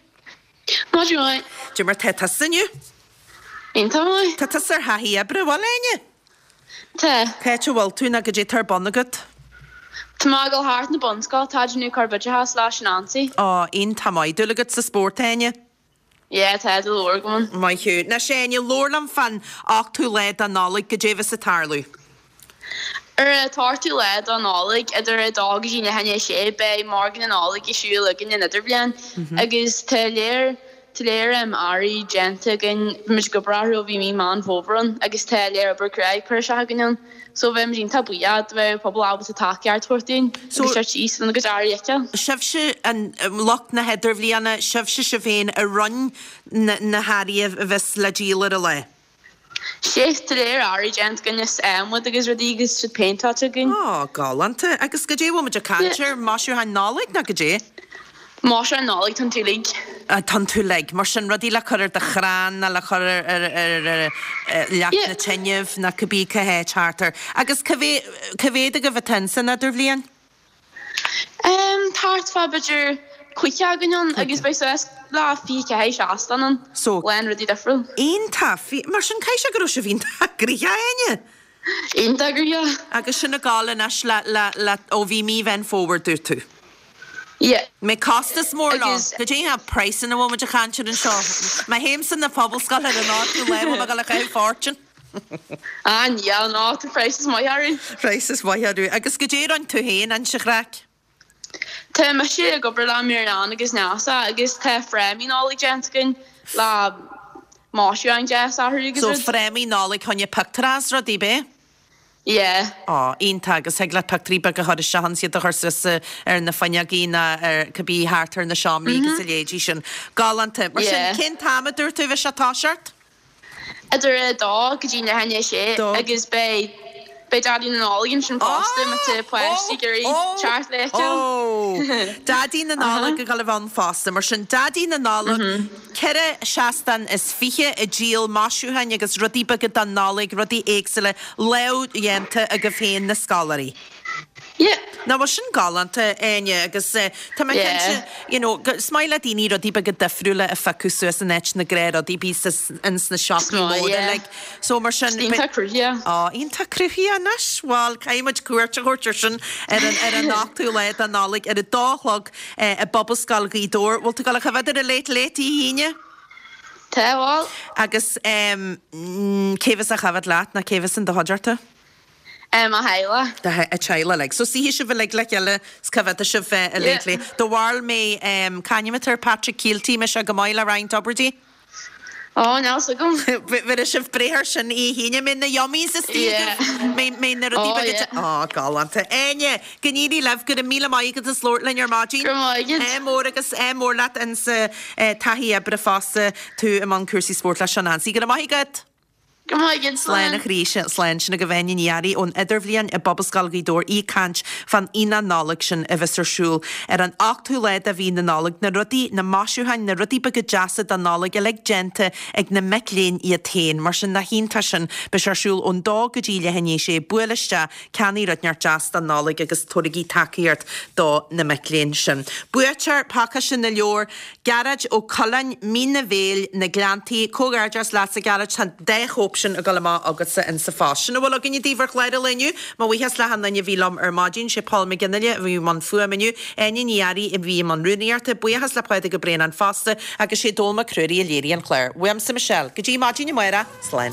Maidin mhaith. Cad é mar tá tusa inniu? Iontach maith. Tá tusa ar thaithí oibre, bhfuil, Áine? Tá. Cá háit a bhfuil tú nó goidé tá ar bun agat? Tá mé ag dul thart na bunscoile, tá ag déanamh corpoideachas le Sean-Ansaí. Ó, iontach maith. Dúil agat sa spórt, Áine? Yeah, tá dúil mhór agam ann. Maith thú. Anois, Áine, labhair liom fán 8ú lá de Nollaig, goidé a bheas ag tarlú? Ar an t-ochtú lá de Nollaig, idir 2 go dtí leath i ndiaidh 6, beidh Margadh na Nollag ar siúl againn in Idirbhliain agus tá léir tá léir earraí déanta againn, bhí muid ag obair orthu ó bhí mí Meán Fómhair ann agus tá léir obair crua curtha isteach againn ann so bheadh muid iontach buíoch dá mbeadh pobal ábalta tacaíocht a thabhairt dúinn agus teacht síos lena gcuid earraí a fheiceáil. Sibhse an lucht na hIdirbhliana, sibhse sibh féin a rinne na hearraí a bheas le díol ar an lá? Sea, tá léir earraí déanta againn as adhmad agus rudaí agus siad péinteáilte againn. Ó, galánta. Agus goidé a bhfuil muid ag caint air? Maisiúcháin Nollag nó goidé? Maisiúcháin Nollag, tá tú uilig. Tá tú uilig. Mar sin, rudaí le cur ar do chrann nó le cur ar leac na tineadh nó cibé cá háit thart air. Agus cá mhéad agaibh atá ins an idirbhliain? Thart fá b'fhéidir 50 againn ann agus beidh suas le 24 seastán ann, So, lán rudaí difriúil. Iontach. Mar sin, caithfidh sé go raibh sibh iontach gnoitheach, Áine? Iontach gnoitheach. Agus sin ag gabháil anois le, le, le, ó bhí mí Mheán Fómhair, dúirt tú. Yeah. Mbeidh costas mór leo. Agus. Goidé na praghsanna a bhfuil muid ag caint ar anseo? Má théimse 'na pobalscoile ar an ochtú lá, bhfuil mé ag dul a chaitheamh fortune? Ah níl, ná, tá praghas maith orthu. Praghas maith orthu. Agus goidé a rinne tú féin, inis an chraic? Tá mise ag obair le Mary Ann agus Neasa agus tá frámaí Nollag déanta againn le maisiúcháin deas orthu agus So rud. frámaí Nollag choinne pictiúr is rudaí, b'é? Yeah. Á, iontach agus thig leat pictiúirí beaga a chur isteach ann 's iad a chur suas ar na fuinneogaí nó ar cibé thart ar na seomraí agus a leithéidí sin. Galánta. Mar sin, Yeah. cén t-am a dúirt tú a bheidh sé ag toiseacht? Idir a 2 go dtí leath i ndiaidh a 6 agus beidh beidh Daidí na Nollag ansin fosta má tá páistí ag iarraidh teacht le feiceáil. Daidí na Nollag ag dul a bheith ann fosta. Mar sin Daidí na Nollag, 4 seastán is 20 ag díol maisiúcháin agus rudaí beaga don Nollaig, rudaí éagsúla, lámhdhéanta agaibh féin na scoláirí. Yeah. Nach bhfuil sin galánta, Áine, agus tá mé cinnte, you know, is maith le daoine rudaí beaga difriúla a phiocadh suas in áit na gnáthrudaí a bhíos ins na siopaí móra, like. So mar sin. Iontach cruthaitheach. Á, iontach cruthaitheach anois. Bhuel, caithfidh muid cuairt a thabhairt ar sin ar an, ar an ochtú lá de Nollaig ar a dó a chlog i bPobalscoil Ghaoth Dobhair. Bhfuil tú ag dul a choimhéad ar an Late Late Dé hAoine? Tá, bhuel. Agus cé bheas á choimhéad leat nó cé bheas in do chuideachta? Mo theaghlach. Do theaghlach uilig. So suífidh sibh uilig le chéile 's coimhéadfaidh sibh an Late Late. Do bharúil mbeidh, c'ainm atá air, Patrick Kielty, mbeidh sé go maith le Ryan Tubridy? Ó, níl 's agam. Bheir sibh breith air sin Dé hAoine. Mbeidh na yummies istigh agaibh? Mbeidh na rudaí beaga de. Ó, galánta. Áine, go n-éirí libh. Go raibh míle maith agat as labhairt linn ar maidin. Go raibh maith agat. Ádh mór agus ádh mór leat insa taithí oibre fosta, tú i mbun cúrsaí spóirt le Sean Ansaí. Go raibh maith agat. Go raibh maith agat, Slán a chroí, slán. Sin agaibh Áine Ní Fhearraigh ón Idirbhliain i bPobalscoil Ghaoth Dobhair í ag caint fán Aonach Nollag sin a bheas ar siúl ar an 8ú lá de mhí na Nollag. Na rudaí, na maisiúcháin, na rudaí beaga deasa don Nollaig uilig déanta ag na mic léinn iad féin. Mar sin, nach iontach sin. Beidh sé ar siúl ón dó go dtí leath i ndiaidh a sé. Buail isteach, ceannaigh rud inteacht deas don Nollaig agus tabhairigí tacaíocht do na mic léinn sin. Buaiteoir pacáiste na leabhar. Gearóid Ó Coileáin, Mín na Bhéil, Na Gleanntaí, Comhghairdeas leatsa Gearóid, tá an dá chóip sin ag dul amach agatsa in sa phost. Sin a bhfuil againne daoibh ar chlár an lae inniu. Mo bhuíochas le hachan duine a bhí liom ar maidin, sé Paul McGinley a bhí i mbun fuaime inniu, Áine Ní Fhearraigh a bhí i mbun rúnaíochta, buíochas le Pádraig Ó Braonáin fosta agus sé Dónall Mac Ruairí a léirigh an clár. Uaimse Michelle, go dtí maidin amárach, slán.